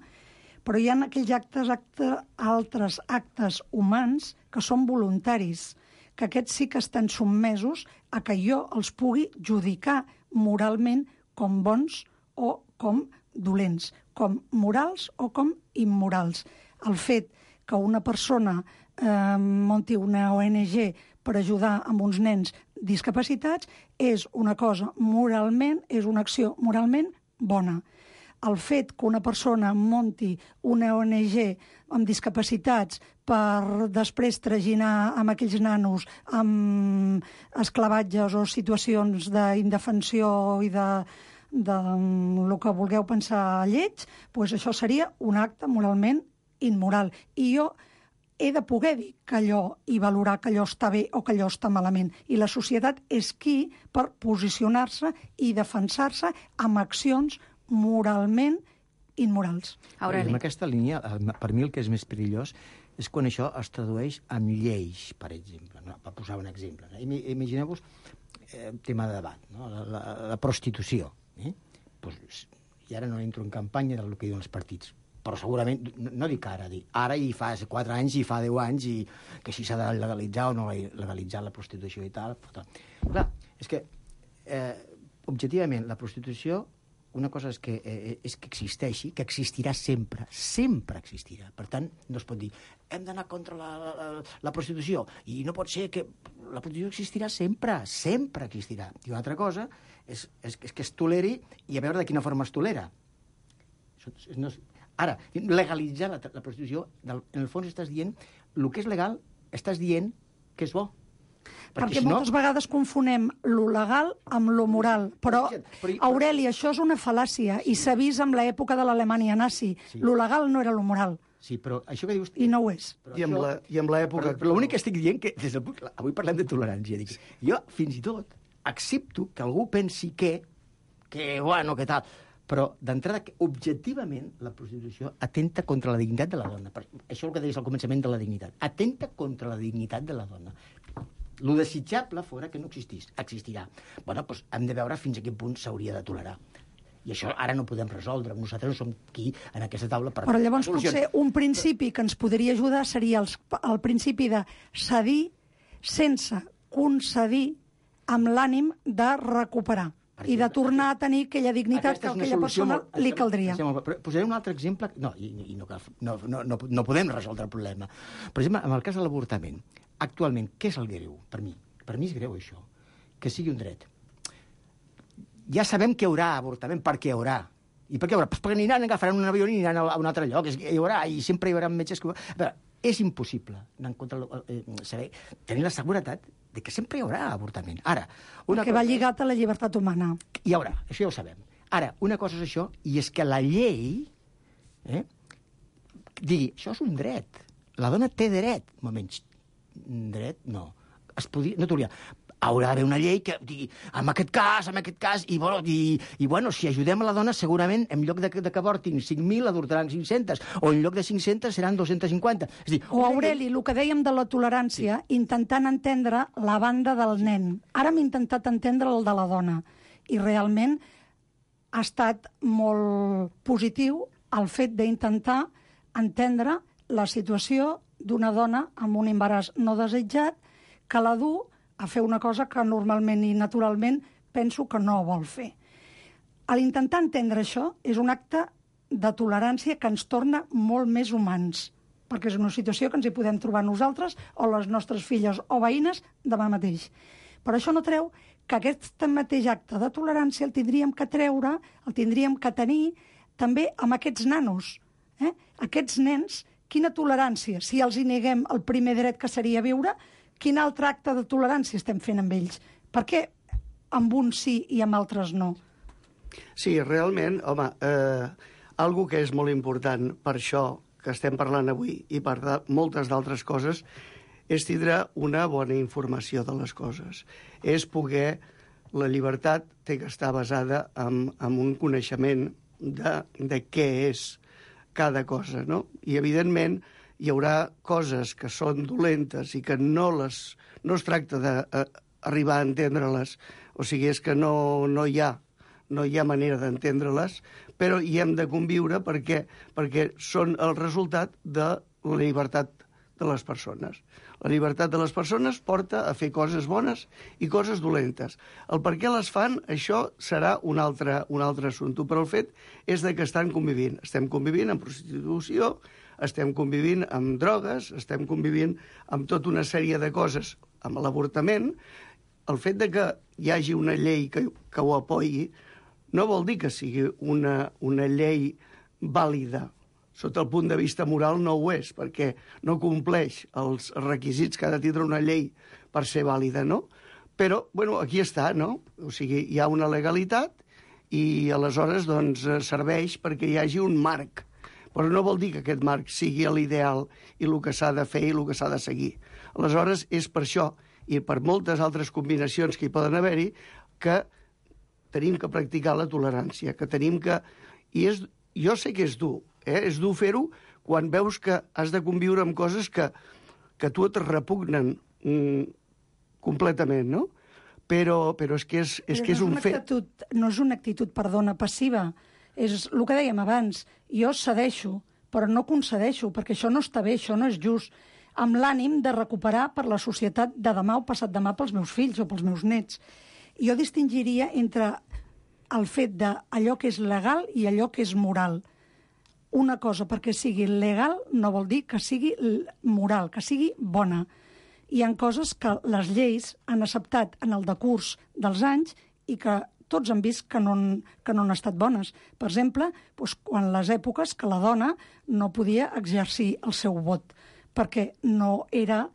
S8: Però hi ha aquells actes, acte, altres actes humans que són voluntaris, que aquests sí que estan sotmesos a que jo els pugui judicar moralment com bons o com dolents, com morals o com immorals. El fet que una persona eh, munti una O N G per ajudar amb uns nens discapacitats és una cosa moralment, és una acció moralment bona. El fet que una persona munti una O N G amb discapacitats per després traginar amb aquells nanos amb esclavatges o situacions d'indefensió i de de el que vulgueu pensar lleig, doncs això seria un acte moralment immoral. I jo he de poder dir que allò i valorar que allò està bé o que allò està malament. I la societat és qui per posicionar-se i defensar-se amb accions moralment immorals.
S9: Aureli. En aquesta línia, per mi el que és més perillós és quan això es tradueix en lleis, per exemple, no? Per posar un exemple. No? Imagineu-vos eh, tema de debat, no? la, la, la prostitució. Eh? Pues, i ara no entro en campanya del que diuen els partits, però segurament, no, no dic ara, dic ara i fa quatre anys i fa deu anys i que si s'ha de legalitzar o no legalitzar la prostitució i tal. Però, clar, és que eh, objectivament la prostitució, una cosa és que, eh, és que existeixi, que existirà sempre, sempre existirà. Per tant, no es pot dir hem d'anar contra la, la, la prostitució i no pot ser que la prostitució existirà sempre, sempre existirà. I una altra cosa és, és, és que es toleri i a veure de quina forma es tolera. No és... Ara, legalitzar la, la prostitució, en el fons estàs dient el que és legal, estàs dient que és bo.
S8: Perquè, Perquè si moltes no... vegades confonem lo legal amb lo moral. Però, Aureli, això és una fal·làcia i s'ha vist amb l'època de l'Alemanya nazi. Sí. Lo legal no era lo moral.
S9: Sí, però això que dius...
S8: I no ho és.
S10: I amb, la, i amb l'època...
S9: Però l'únic que estic dient que... Des del... Avui parlem de tolerància. Dic, jo, fins i tot, accepto que algú pensi que... Que, bueno, que tal... Però, d'entrada, objectivament, la prostitució atenta contra la dignitat de la dona. Això és el que deies al començament de la dignitat. Atenta contra la dignitat de la dona. Lo desitjable fora que no existís. Existirà. Bueno, doncs hem de veure fins a quin punt s'hauria de tolerar. I això ara no podem resoldre. Nosaltres no som aquí, en aquesta taula, per...
S8: Però llavors potser un principi que ens podria ajudar seria el, el principi de cedir sense concedir amb l'ànim de recuperar i de tornar a tenir aquella dignitat que a aquella persona molt, li caldria.
S9: Posaré un altre exemple... No, i, i no, no, no, no, no podem resoldre el problema. Per exemple, en el cas de l'avortament, actualment, què és el greu? Per mi, per mi és greu això, que sigui un dret. Ja sabem que hi haurà avortament, per què hi haurà? I per què hi haurà? Pues perquè aniran, agafaran un avió i aniran a un altre lloc. Hi haurà, i sempre hi haurà metges que... A veure, és impossible anar en contra, eh, saber, tenir la seguretat de que sempre hi haurà avortament. Ara, una
S8: que va
S9: cosa
S8: lligat a la llibertat humana.
S9: Hi haurà, això ja ho sabem. Ara, una cosa és això, i és que la llei eh, digui, això és un dret. La dona té dret. Un moment, dret? No. Es podia, no t'hauria... Haurà d'haver una llei que digui, en aquest cas, en aquest cas, i, bueno, i, i bueno, si ajudem a la dona, segurament, en lloc de, de que avortin cinc mil, adortaran cinc-centes, o en lloc de cinc-centes seran dos-cents cinquanta. És dir,
S8: O, Aureli, el que dèiem de la tolerància, sí. intentant entendre la banda del nen. Ara hem intentat entendre el de la dona, i realment ha estat molt positiu el fet d'intentar entendre la situació d'una dona amb un embaràs no desitjat que la du a fer una cosa que normalment i naturalment penso que no vol fer. A l'intentar entendre això és un acte de tolerància que ens torna molt més humans, perquè és una situació que ens hi podem trobar nosaltres o les nostres filles o veïnes demà mateix. Però això no treu que aquest mateix acte de tolerància el tindríem que treure, el tindríem que tenir també amb aquests nanos. Eh? Aquests nens, quina tolerància? Si els hi neguem el primer dret que seria viure, quin altre acte de tolerància estem fent amb ells? Per què amb uns sí i amb altres no?
S10: Sí, realment, home, eh, algo que és molt important per això que estem parlant avui i per de, moltes d'altres coses és tindre una bona informació de les coses. És poder... La llibertat té que estar basada en, en un coneixement de, de què és cada cosa, no? I, evidentment, hi haurà coses que són dolentes i que no, les, no es tracta d'arribar a entendre-les. O sigui, és que no, no, hi ha, no hi ha manera d'entendre-les, però hi hem de conviure perquè, perquè són el resultat de la llibertat de les persones. La llibertat de les persones porta a fer coses bones i coses dolentes. El per què les fan, això serà un altre, un altre assumpte, però el fet és de que estan convivint. Estem convivint amb prostitució, estem convivint amb drogues, estem convivint amb tota una sèrie de coses, amb l'avortament. El fet de que hi hagi una llei que, que ho apoyi no vol dir que sigui una, una llei vàlida. Sota el punt de vista moral no ho és, perquè no compleix els requisits que ha de tindre una llei per ser vàlida, no? Però, bueno, aquí està, no? O sigui, hi ha una legalitat i aleshores doncs, serveix perquè hi hagi un marc. Però no vol dir que aquest marc sigui l'ideal i el que s'ha de fer i el que s'ha de seguir. Aleshores, és per això, i per moltes altres combinacions que hi poden haver-hi, que tenim que practicar la tolerància, que tenim que... I és... jo sé que és dur, eh? És dur fer-ho quan veus que has de conviure amb coses que, que a tu et repugnen mm, completament, no? Però, però és que és, és, que és un fet...
S8: Actitud, no és una actitud, perdona, passiva. És el que dèiem abans. Jo cedeixo, però no concedeixo, perquè això no està bé, això no és just, amb l'ànim de recuperar per la societat de demà o passat demà pels meus fills o pels meus nets. Jo distingiria entre el fet d'allò que és legal i allò que és moral. Una cosa perquè sigui legal no vol dir que sigui moral, que sigui bona. Hi ha coses que les lleis han acceptat en el decurs dels anys i que tots han vist que no, que no han estat bones. Per exemple, doncs, quan les èpoques que la dona no podia exercir el seu vot perquè no era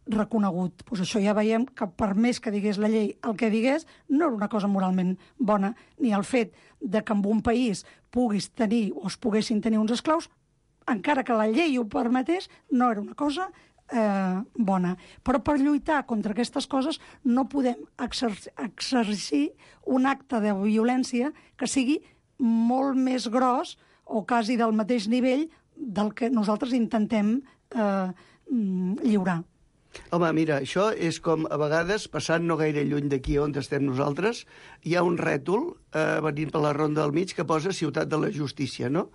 S8: reconegut. Pues això ja veiem que per més que digués la llei el que digués, no era una cosa moralment bona, ni el fet de que en un país puguis tenir o es poguessin tenir uns esclaus, encara que la llei ho permetés, no era una cosa eh, bona. Però per lluitar contra aquestes coses no podem exercir, exercir un acte de violència que sigui molt més gros o quasi del mateix nivell del que nosaltres intentem eh, lliurar.
S10: Home, mira, això és com, a vegades, passant no gaire lluny d'aquí on estem nosaltres, hi ha un rètol eh, venint per la Ronda del Mig que posa Ciutat de la Justícia, no?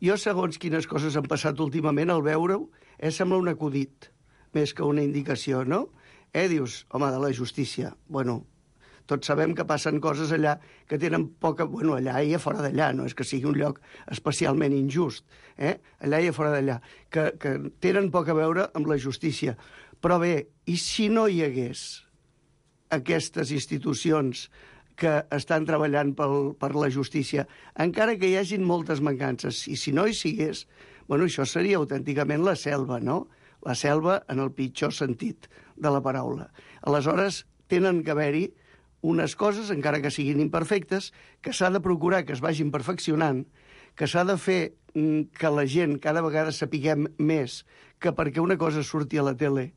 S10: Jo, segons quines coses han passat últimament, al veure-ho, eh, sembla un acudit, més que una indicació, no? Eh, dius, home, de la justícia. Bueno, tots sabem que passen coses allà que tenen poca... Bueno, allà i a fora d'allà, no és que sigui un lloc especialment injust, eh? Allà i a fora d'allà, que, que tenen poc a veure amb la justícia. Però bé, i si no hi hagués aquestes institucions que estan treballant pel, per la justícia, encara que hi hagin moltes mancances, i si no hi sigués, bueno, això seria autènticament la selva, no? la selva en el pitjor sentit de la paraula. Aleshores, tenen que haver-hi unes coses, encara que siguin imperfectes, que s'ha de procurar que es vagin perfeccionant, que s'ha de fer que la gent cada vegada sapiguem més que perquè una cosa surti a la tele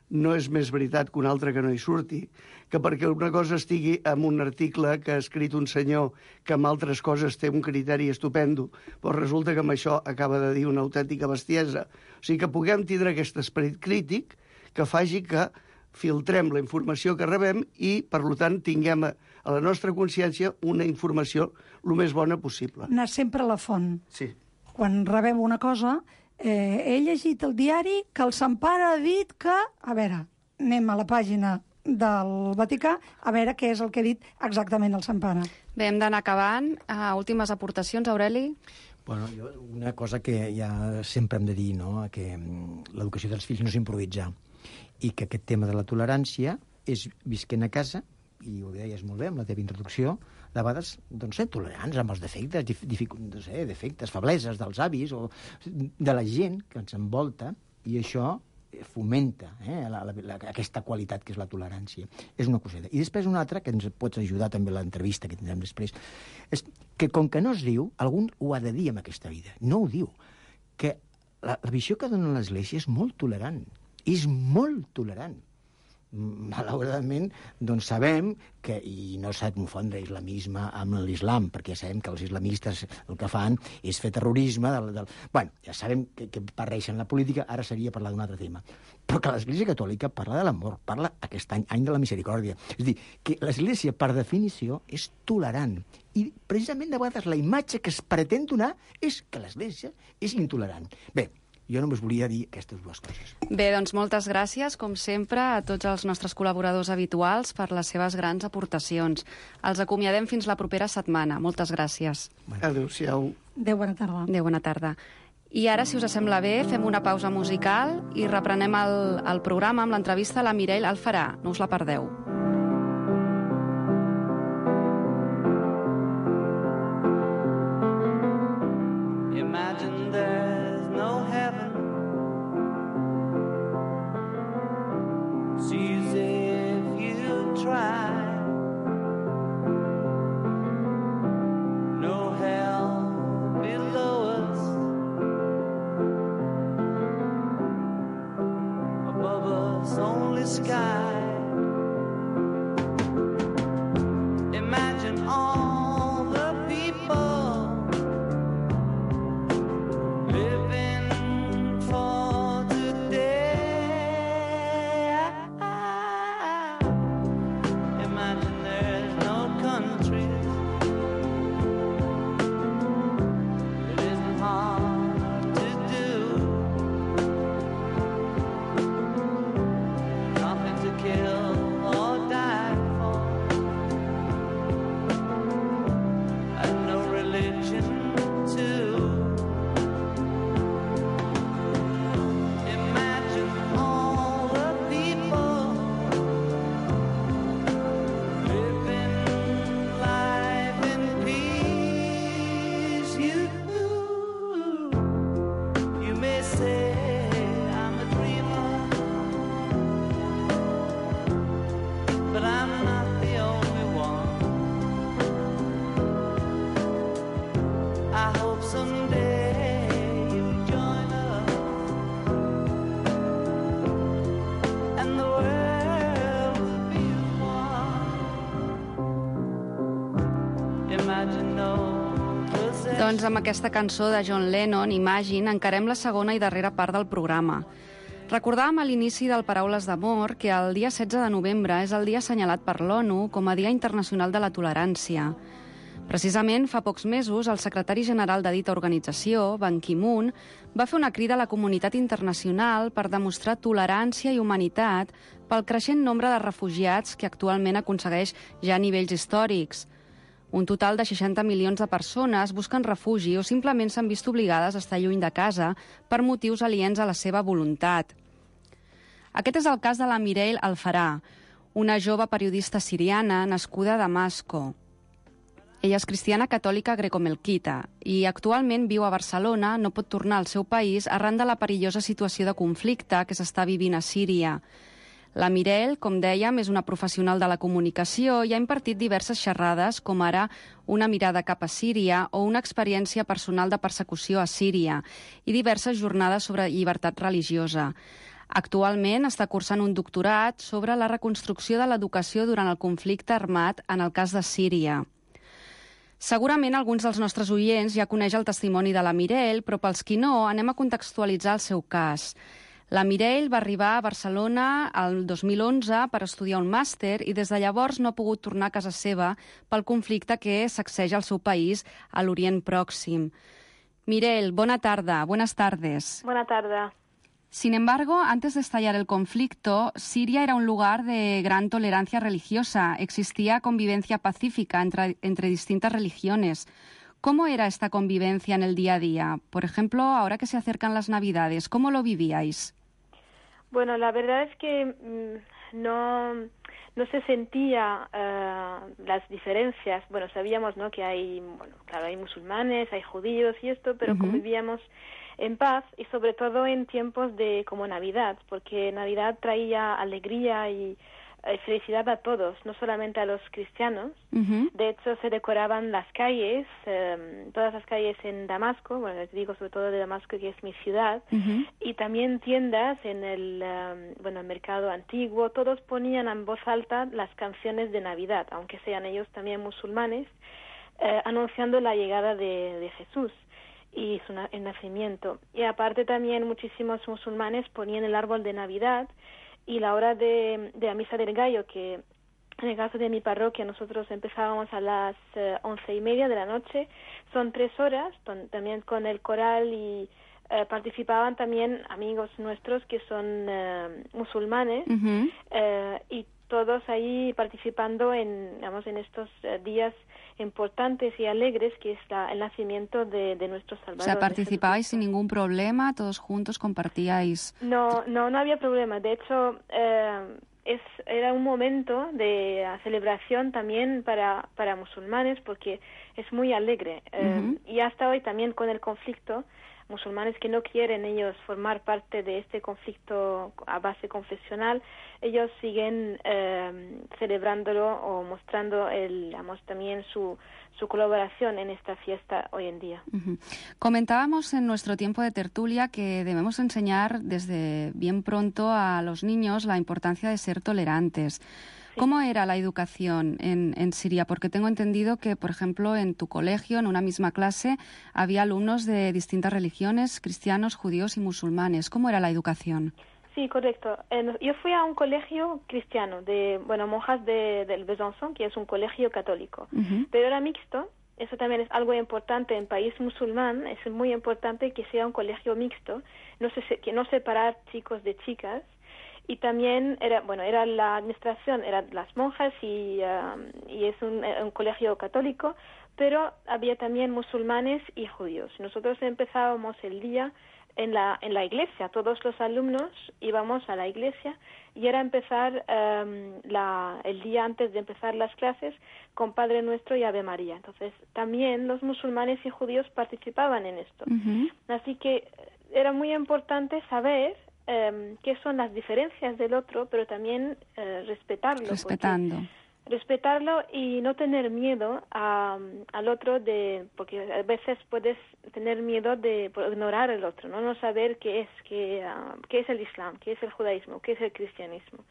S10: no és més veritat que una altra que no hi surti, que perquè una cosa estigui en un article que ha escrit un senyor que amb altres coses té un criteri estupendo, però resulta que amb això acaba de dir una autèntica bestiesa. O sigui, que puguem tindre aquest esperit crític que faci que filtrem la informació que rebem i, per tant, tinguem a, a la nostra consciència una informació el més bona possible.
S8: Anar sempre a la font.
S10: Sí.
S8: Quan rebem una cosa, eh, he llegit el diari que el Sant Pare ha dit que... A veure, anem a la pàgina del Vaticà a veure què és el que ha dit exactament el Sant Pare.
S6: Bé, hem d'anar acabant. Uh, últimes aportacions, Aureli?
S9: Bueno, jo, una cosa que ja sempre hem de dir, no?, que l'educació dels fills no és improvisar, i que aquest tema de la tolerància és visquent a casa, i ho deies molt bé amb la teva introducció, de vegades doncs, ser tolerants amb els defectes, dific... no sé, defectes, febleses dels avis o de la gent que ens envolta, i això fomenta eh, la, la, la, aquesta qualitat que és la tolerància. És una coseta. I després una altra, que ens pots ajudar també a l'entrevista que tindrem després, és que com que no es diu, algú ho ha de dir en aquesta vida. No ho diu. Que la, la visió que dona l'Església és molt tolerant. És molt tolerant. Malauradament, doncs sabem que, i no s'ha de confondre islamisme amb l'islam, perquè ja sabem que els islamistes el que fan és fer terrorisme. Del, del... Bueno, ja sabem que, que barreixen la política, ara seria parlar d'un altre tema. Però que l'Església Catòlica parla de l'amor, parla aquest any, any de la misericòrdia. És a dir, que l'Església, per definició, és tolerant. I precisament de vegades la imatge que es pretén donar és que l'Església és intolerant. Bé, jo només volia dir aquestes dues coses.
S6: Bé, doncs moltes gràcies, com sempre, a tots els nostres col·laboradors habituals per les seves grans aportacions. Els acomiadem fins la propera setmana. Moltes gràcies.
S10: Adéu-siau.
S8: Adéu, bona tarda.
S6: Adéu, bona tarda. I ara, si us sembla bé, fem una pausa musical i reprenem el, el programa amb l'entrevista a la Mireille Alfarà. No us la perdeu.
S7: Imagine there's no heaven. It's easy if you try. No hell below us. Above us only sky. Imagine all the people living for today. Imagine there's no countries. It isn't hard to do. Nothing to kill or die for, and no religion too. Imagine all the people living life in peace. You, you may say I'm a dreamer, but I'm not the only one. I hope someday you'll join us, and the world will be one. Imagine no possession.
S6: Doncs amb aquesta cançó de John Lennon, Imagine, encarem la segona i darrera part del programa. Recordàvem a l'inici del Paraules d'Amor que el dia setze de novembre és el dia assenyalat per l'ONU com a Dia Internacional de la Tolerància. Precisament, fa pocs mesos, el secretari general de dita organització, Ban Ki-moon, va fer una crida a la comunitat internacional per demostrar tolerància i humanitat pel creixent nombre de refugiats que actualment aconsegueix ja nivells històrics. Un total de seixanta milions de persones busquen refugi o simplement s'han vist obligades a estar lluny de casa per motius aliens a la seva voluntat. Aquest és el cas de la Mireille Alfarà, una jove periodista siriana nascuda a Damasco. Ella és cristiana catòlica grecomelquita i actualment viu a Barcelona, no pot tornar al seu país arran de la perillosa situació de conflicte que s'està vivint a Síria. La Mirelle, com dèiem, és una professional de la comunicació i ha impartit diverses xerrades, com ara Una mirada cap a Síria o una experiència personal de persecució a Síria i diverses jornades sobre llibertat religiosa. Actualment està cursant un doctorat sobre la reconstrucció de l'educació durant el conflicte armat en el cas de Síria. Segurament alguns dels nostres oients ja coneix el testimoni de la Mirelle, però pels qui no, anem a contextualitzar el seu cas. La Mirelle va arribar a Barcelona el dos mil onze per estudiar un màster i des de llavors no ha pogut tornar a casa seva pel conflicte que sacseja el seu país a l'Orient Pròxim. Mirelle, bona tarda, buenas tardes.
S11: Buena tarde.
S6: Sin embargo, antes de estallar el conflicto, Siria era un lugar de gran tolerancia religiosa. Existía convivencia pacífica entre, entre distintas religiones. ¿Cómo era esta convivencia en el día a día? Por ejemplo, ahora que se acercan las Navidades, ¿cómo lo vivíais?
S11: Bueno, la verdad es que mmm, no, no se sentía uh, las diferencias. Bueno, sabíamos, ¿no?, que hay, bueno, claro, hay musulmanes, hay judíos y esto, pero uh-huh. convivíamos en paz y sobre todo en tiempos de como Navidad, porque Navidad traía alegría y eh, felicidad a todos, no solamente a los cristianos. Uh-huh. De hecho, se decoraban las calles, eh, todas las calles en Damasco, bueno, les digo sobre todo de Damasco, que es mi ciudad, uh-huh. y también tiendas en el, um, bueno, el mercado antiguo. Todos ponían en voz alta las canciones de Navidad, aunque sean ellos también musulmanes, eh, anunciando la llegada de, de Jesús y su na- el nacimiento. Y aparte también muchísimos musulmanes ponían el árbol de Navidad y la hora de, de la misa del gallo, que en el caso de mi parroquia nosotros empezábamos a las eh, once y media de la noche. Son tres horas, ton- también con el coral y eh, participaban también amigos nuestros que son eh, musulmanes uh-huh. eh, y todos ahí participando en, digamos, en estos eh, días importantes y alegres, que es la, el nacimiento de, de nuestro Salvador.
S6: O sea, participabais sin ningún problema, todos juntos compartíais.
S11: No, no, no había problema. De hecho, eh, es, era un momento de celebración también para, para musulmanes, porque es muy alegre. Eh, uh-huh. Y hasta hoy también con el conflicto, musulmanes que no quieren ellos formar parte de este conflicto a base confesional, ellos siguen eh, celebrándolo o mostrando el, digamos, también su, su colaboración en esta fiesta hoy en día.
S6: Uh-huh. Comentábamos en nuestro tiempo de tertulia que debemos enseñar desde bien pronto a los niños la importancia de ser tolerantes. ¿Cómo era la educación en, en Siria? Porque tengo entendido que, por ejemplo, en tu colegio, en una misma clase, había alumnos de distintas religiones, cristianos, judíos y musulmanes. ¿Cómo era la educación?
S11: Sí, correcto. Eh, yo fui a un colegio cristiano, de bueno, monjas de, del Besançon, que es un colegio católico, uh-huh. pero era mixto. Eso también es algo importante en país musulmán. Es muy importante que sea un colegio mixto, no se, que no separar chicos de chicas. Y también era, bueno, era la administración, eran las monjas y, uh, y es un, un colegio católico, pero había también musulmanes y judíos. Nosotros empezábamos el día en la en la iglesia, todos los alumnos íbamos a la iglesia y era empezar um, la, el día antes de empezar las clases con Padre Nuestro y Ave María. Entonces también los musulmanes y judíos participaban en esto. Uh-huh. Así que era muy importante saber Eh, qué son las diferencias del otro, pero también eh, respetarlo.
S6: Respetando.
S11: Respetarlo y no tener miedo a, al otro, de porque a veces puedes tener miedo de por ignorar al otro, no no saber qué es, qué, uh, qué es el Islam, qué es el judaísmo, qué es el cristianismo.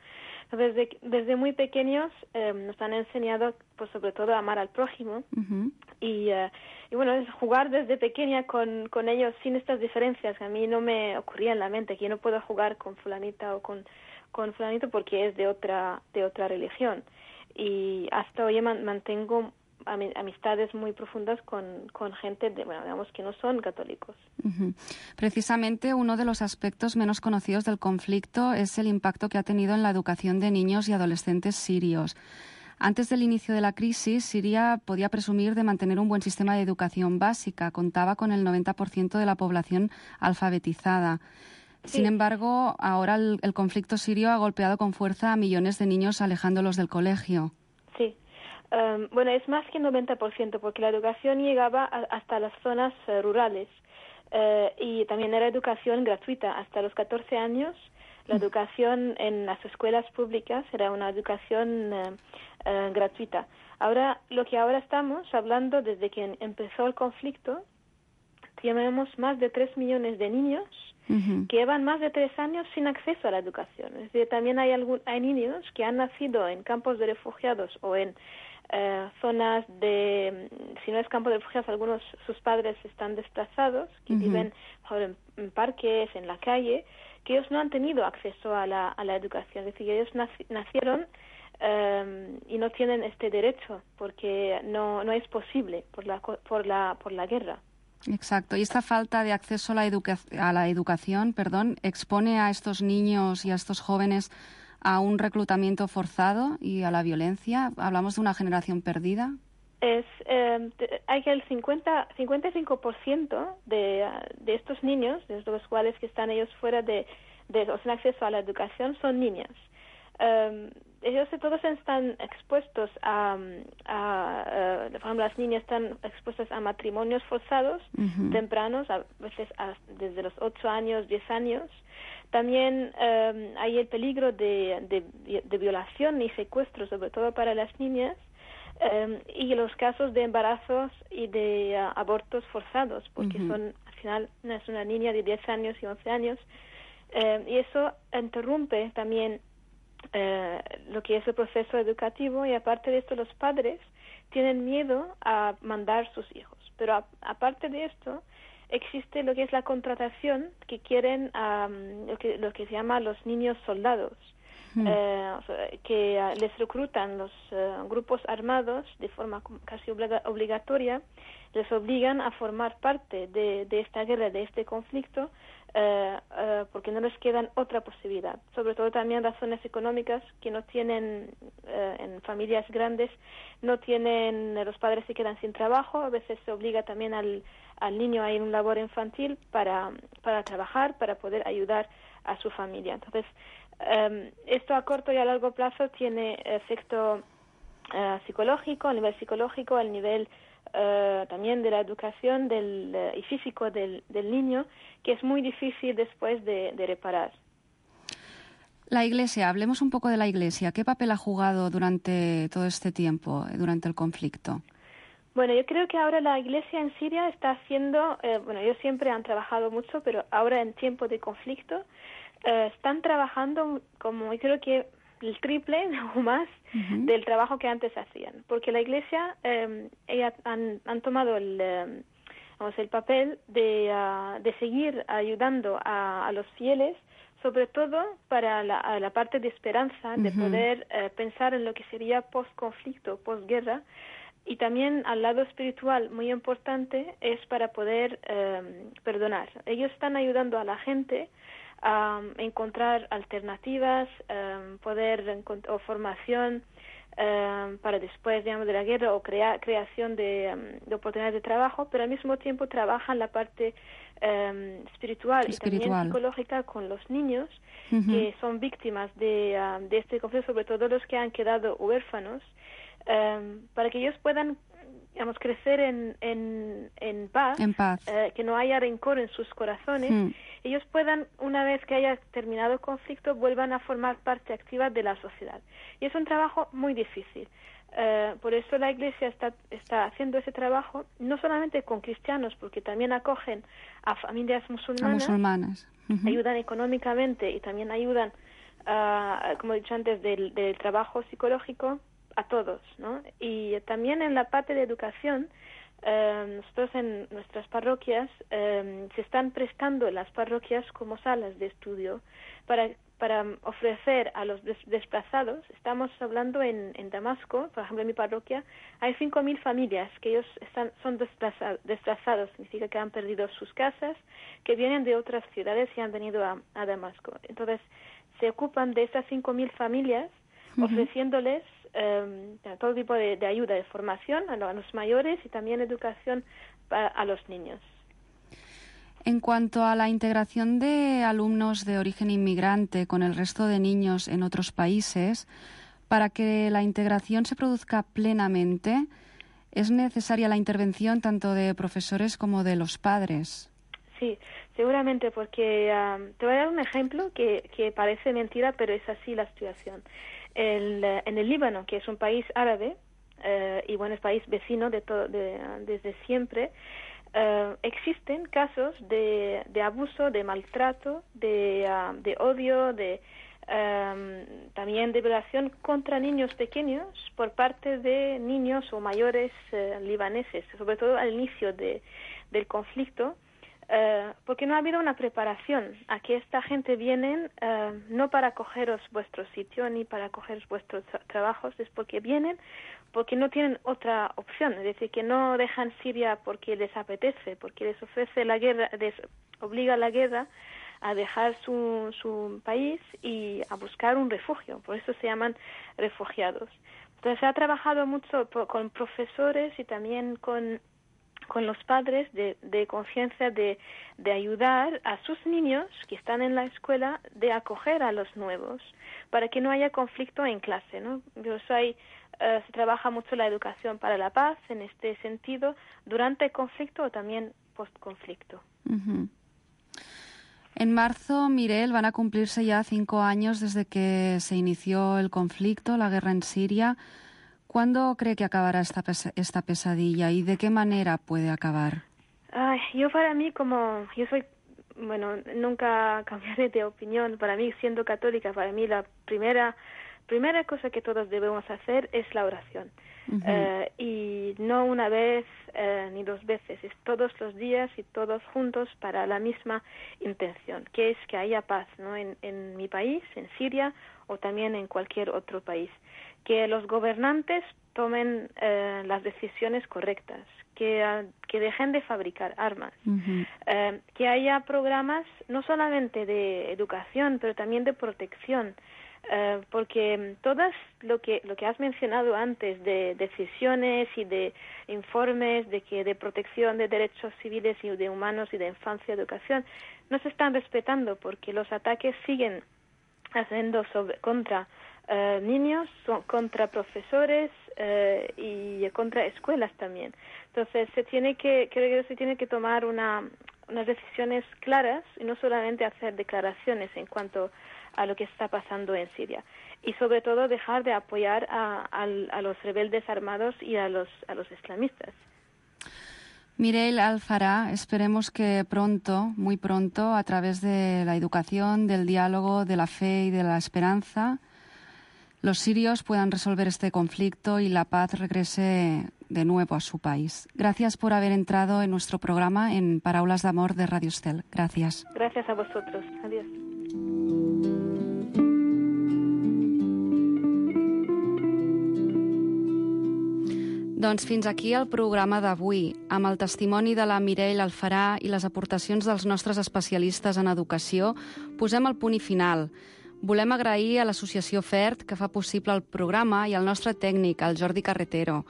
S11: Entonces, desde, desde muy pequeños eh, nos han enseñado, pues sobre todo, a amar al prójimo. Uh-huh. y, uh, y bueno, es jugar desde pequeña con, con ellos sin estas diferencias. A mí no me ocurría en la mente que yo no puedo jugar con fulanita o con, con fulanito porque es de otra, de otra religión. Y hasta hoy man, mantengo amistades muy profundas con, con gente de, bueno, digamos, que no son católicos.
S6: Uh-huh. Precisamente uno de los aspectos menos conocidos del conflicto es el impacto que ha tenido en la educación de niños y adolescentes sirios. Antes del inicio de la crisis, Siria podía presumir de mantener un buen sistema de educación básica. Contaba con el noventa por ciento de la población alfabetizada. Sin sí. embargo, ahora el, el conflicto sirio ha golpeado con fuerza a millones de niños, alejándolos del colegio.
S11: Sí. Um, bueno, es más que el noventa por ciento, porque la educación llegaba a, hasta las zonas uh, rurales uh, y también era educación gratuita. Hasta los catorce años, la mm. educación en las escuelas públicas era una educación uh, uh, gratuita. Ahora, lo que ahora estamos hablando, desde que empezó el conflicto, tenemos más de tres millones de niños uh-huh. que llevan más de tres años sin acceso a la educación. Es decir, también hay, algún, hay niños que han nacido en campos de refugiados o en uh, zonas de, si no es campo de refugiados, algunos sus padres están desplazados, que uh-huh. viven en, en parques, en la calle, que ellos no han tenido acceso a la, a la educación. Es decir, ellos nac- nacieron um, y no tienen este derecho porque no, no es posible por la, por la, por la guerra.
S6: Exacto. Y esta falta de acceso a la, educa- a la educación, perdón, expone a estos niños y a estos jóvenes a un reclutamiento forzado y a la violencia. ¿Hablamos de una generación perdida?
S11: Es, eh, hay que el cincuenta, cincuenta y cinco por ciento de, de estos niños, de los cuales que están ellos fuera de, de o sin acceso a la educación, son niñas. Um, ellos todos están expuestos a, a, a, por ejemplo, las niñas están expuestas a matrimonios forzados uh-huh. tempranos, a veces a, desde los ocho años, diez años. También um, hay el peligro de, de, de violación y secuestro, sobre todo para las niñas, um, y los casos de embarazos y de uh, abortos forzados, porque uh-huh. son, al final, es una niña de diez años y once años, um, y eso interrumpe también Eh, lo que es el proceso educativo, y aparte de esto los padres tienen miedo a mandar sus hijos. Pero a, aparte de esto existe lo que es la contratación, que quieren um, lo, que, lo que se llama los niños soldados, mm. eh, o sea, que uh, les reclutan los uh, grupos armados de forma casi obliga- obligatoria, les obligan a formar parte de, de esta guerra, de este conflicto, Uh, uh, porque no les quedan otra posibilidad. Sobre todo también razones económicas que no tienen, uh, en familias grandes, no tienen, los padres se quedan sin trabajo, a veces se obliga también al, al niño a ir a un labor infantil para, para trabajar, para poder ayudar a su familia. Entonces, um, esto a corto y a largo plazo tiene efecto uh, psicológico, a nivel psicológico, al nivel Uh, también de la educación del, uh, y físico del, del niño, que es muy difícil después de, de reparar.
S6: La Iglesia, hablemos un poco de la Iglesia. ¿Qué papel ha jugado durante todo este tiempo, durante el conflicto?
S11: Bueno, yo creo que ahora la Iglesia en Siria está haciendo, eh, bueno, ellos siempre han trabajado mucho, pero ahora en tiempo de conflicto eh, están trabajando como, yo creo que el triple o más uh-huh. del trabajo que antes hacían, porque la Iglesia eh, ellas han, han tomado el, eh, vamos, el papel de, uh, de seguir ayudando a, a los fieles, sobre todo para la, a la parte de esperanza, uh-huh. de poder eh, pensar en lo que sería post-conflicto, post-guerra, y también al lado espiritual muy importante es para poder eh, perdonar. Ellos están ayudando a la gente a um, encontrar alternativas, um, poder encont- o formación um, para después, digamos, de la guerra, o crea- creación de, um, de oportunidades de trabajo, pero al mismo tiempo trabajan la parte um, espiritual, espiritual y también psicológica con los niños uh-huh. que son víctimas de, um, de este conflicto, sobre todo los que han quedado huérfanos, um, para que ellos puedan, digamos, crecer en, en, en paz,
S6: en paz.
S11: Eh, que no haya rencor en sus corazones, mm. ellos puedan, una vez que haya terminado el conflicto, vuelvan a formar parte activa de la sociedad. Y es un trabajo muy difícil. Eh, por eso la Iglesia está, está haciendo ese trabajo, no solamente con cristianos, porque también acogen a familias musulmanas,
S6: a musulmanas. Uh-huh.
S11: ayudan económicamente y también ayudan, uh, como he dicho antes, del, del trabajo psicológico, a todos, ¿no? Y también en la parte de educación, eh, nosotros en nuestras parroquias eh, se están prestando las parroquias como salas de estudio para para ofrecer a los des- desplazados. Estamos hablando en, en Damasco, por ejemplo en mi parroquia, hay cinco mil familias que ellos están son desplaza- desplazados, significa que han perdido sus casas, que vienen de otras ciudades y han venido a, a Damasco. Entonces se ocupan de esas cinco mil familias, uh-huh. ofreciéndoles eh, todo tipo de, de ayuda, de formación a, lo, a los mayores y también educación para, a los niños.
S6: En cuanto a la integración de alumnos de origen inmigrante con el resto de niños en otros países, Para que la integración se produzca plenamente, es necesaria la intervención tanto de profesores como de los padres.
S11: Sí, seguramente, porque um, te voy a dar un ejemplo que, que parece mentira, pero es así la situación. El, uh, en el Líbano, que es un país árabe, uh, y bueno, es país vecino de todo, de, desde siempre, uh, existen casos de, de abuso, de maltrato, de, uh, de odio, de um, también de violación contra niños pequeños por parte de niños o mayores uh, libaneses, sobre todo al inicio de, del conflicto. Uh, porque no ha habido una preparación a que esta gente vienen uh, no para cogeros vuestro sitio ni para cogeros vuestros tra- trabajos, es porque vienen porque no tienen otra opción, es decir, que no dejan Siria porque les apetece, porque les ofrece la guerra, les obliga la guerra a dejar su, su país y a buscar un refugio, por eso se llaman refugiados. Entonces se ha trabajado mucho por, con profesores y también con con los padres de, de conciencia de, de ayudar a sus niños que están en la escuela de acoger a los nuevos para que no haya conflicto en clase, ¿no? Yo soy, uh, se trabaja mucho la educación para la paz en este sentido durante el conflicto o también post-conflicto.
S6: Uh-huh. En marzo, Mireille, van a cumplirse ya cinco años desde que se inició el conflicto, la guerra en Siria. ¿Cuándo cree que acabará esta, pes- esta pesadilla y de qué manera puede acabar?
S11: Ay, yo para mí, como yo soy, bueno, nunca cambiaré de opinión. Para mí, siendo católica, para mí la primera primera cosa que todos debemos hacer es la oración. Uh-huh. Uh, y no una vez uh, ni dos veces, es todos los días y todos juntos para la misma intención, que es que haya paz, ¿no? En, en mi país, en Siria o también en cualquier otro país. Que los gobernantes tomen uh, las decisiones correctas, que, uh, que dejen de fabricar armas, uh-huh. uh, que haya programas no solamente de educación, pero también de protección, uh, porque todas lo que lo que has mencionado antes de decisiones y de informes de que de protección de derechos civiles y de humanos y de infancia y educación no se están respetando porque los ataques siguen haciendo sobre contra Uh, niños, so, contra profesores uh, y contra escuelas también. Entonces se tiene que, creo que se tiene que tomar una, unas decisiones claras y no solamente hacer declaraciones en cuanto a lo que está pasando en Siria. Y sobre todo dejar de apoyar a, a, a los rebeldes armados y a los, a los islamistas.
S6: Mireille Al-Farah, esperemos que pronto, muy pronto, a través de la educación, del diálogo, de la fe y de la esperanza, los sirios puedan resolver este conflicto y la paz regrese de nuevo a su país. Gracias por haber entrado en nuestro programa en Paraules d'Amor de Radio Estel. Gracias.
S11: Gracias a vosotros. Adiós.
S6: Doncs fins aquí el programa d'avui, amb el testimoni de la Mireille Al-Farah i les aportacions dels nostres especialistes en educació, posem el punt i final. Volem agrair a l'associació FERT, que fa possible el programa, i al nostre tècnic, el Jordi Carretero.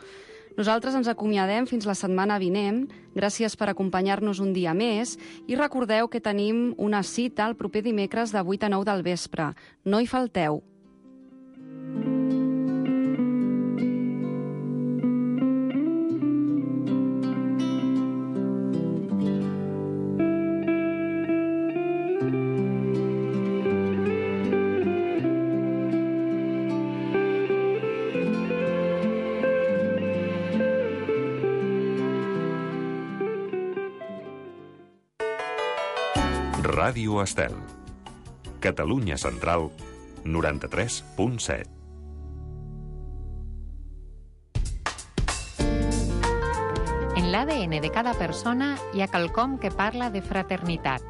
S6: Nosaltres ens acomiadem fins la setmana vinent. Gràcies per acompanyar-nos un dia més. I recordeu que tenim una cita el proper dimecres de vuit a nou del vespre. No hi falteu.
S1: Ràdio Estel. Catalunya Central, noranta-tres punt set.
S12: En l'A D N de cada persona hi ha quelcom que parla de fraternitat.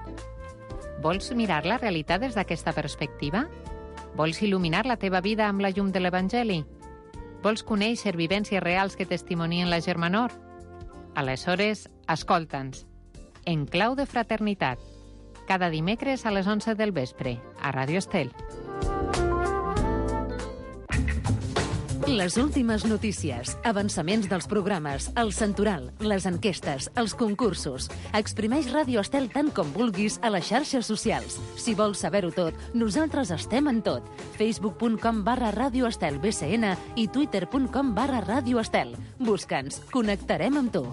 S12: Vols mirar la realitat des d'aquesta perspectiva? Vols il·luminar la teva vida amb la llum de l'Evangeli? Vols conèixer vivències reals que testimonien la germanor? Aleshores, escolta'ns. En clau de fraternitat. Cada dimecres a les onze del vespre, a Ràdio Estel.
S2: Les últimes notícies, avançaments dels programes, el santoral, les enquestes, els concursos. Exprimeix Ràdio Estel tant com vulguis a les xarxes socials. Si vols saber-ho tot, nosaltres estem en tot. facebook punt com barra Ràdio Estel B C N i twitter punt com barra Ràdio Estel. Busca'ns, connectarem amb tu.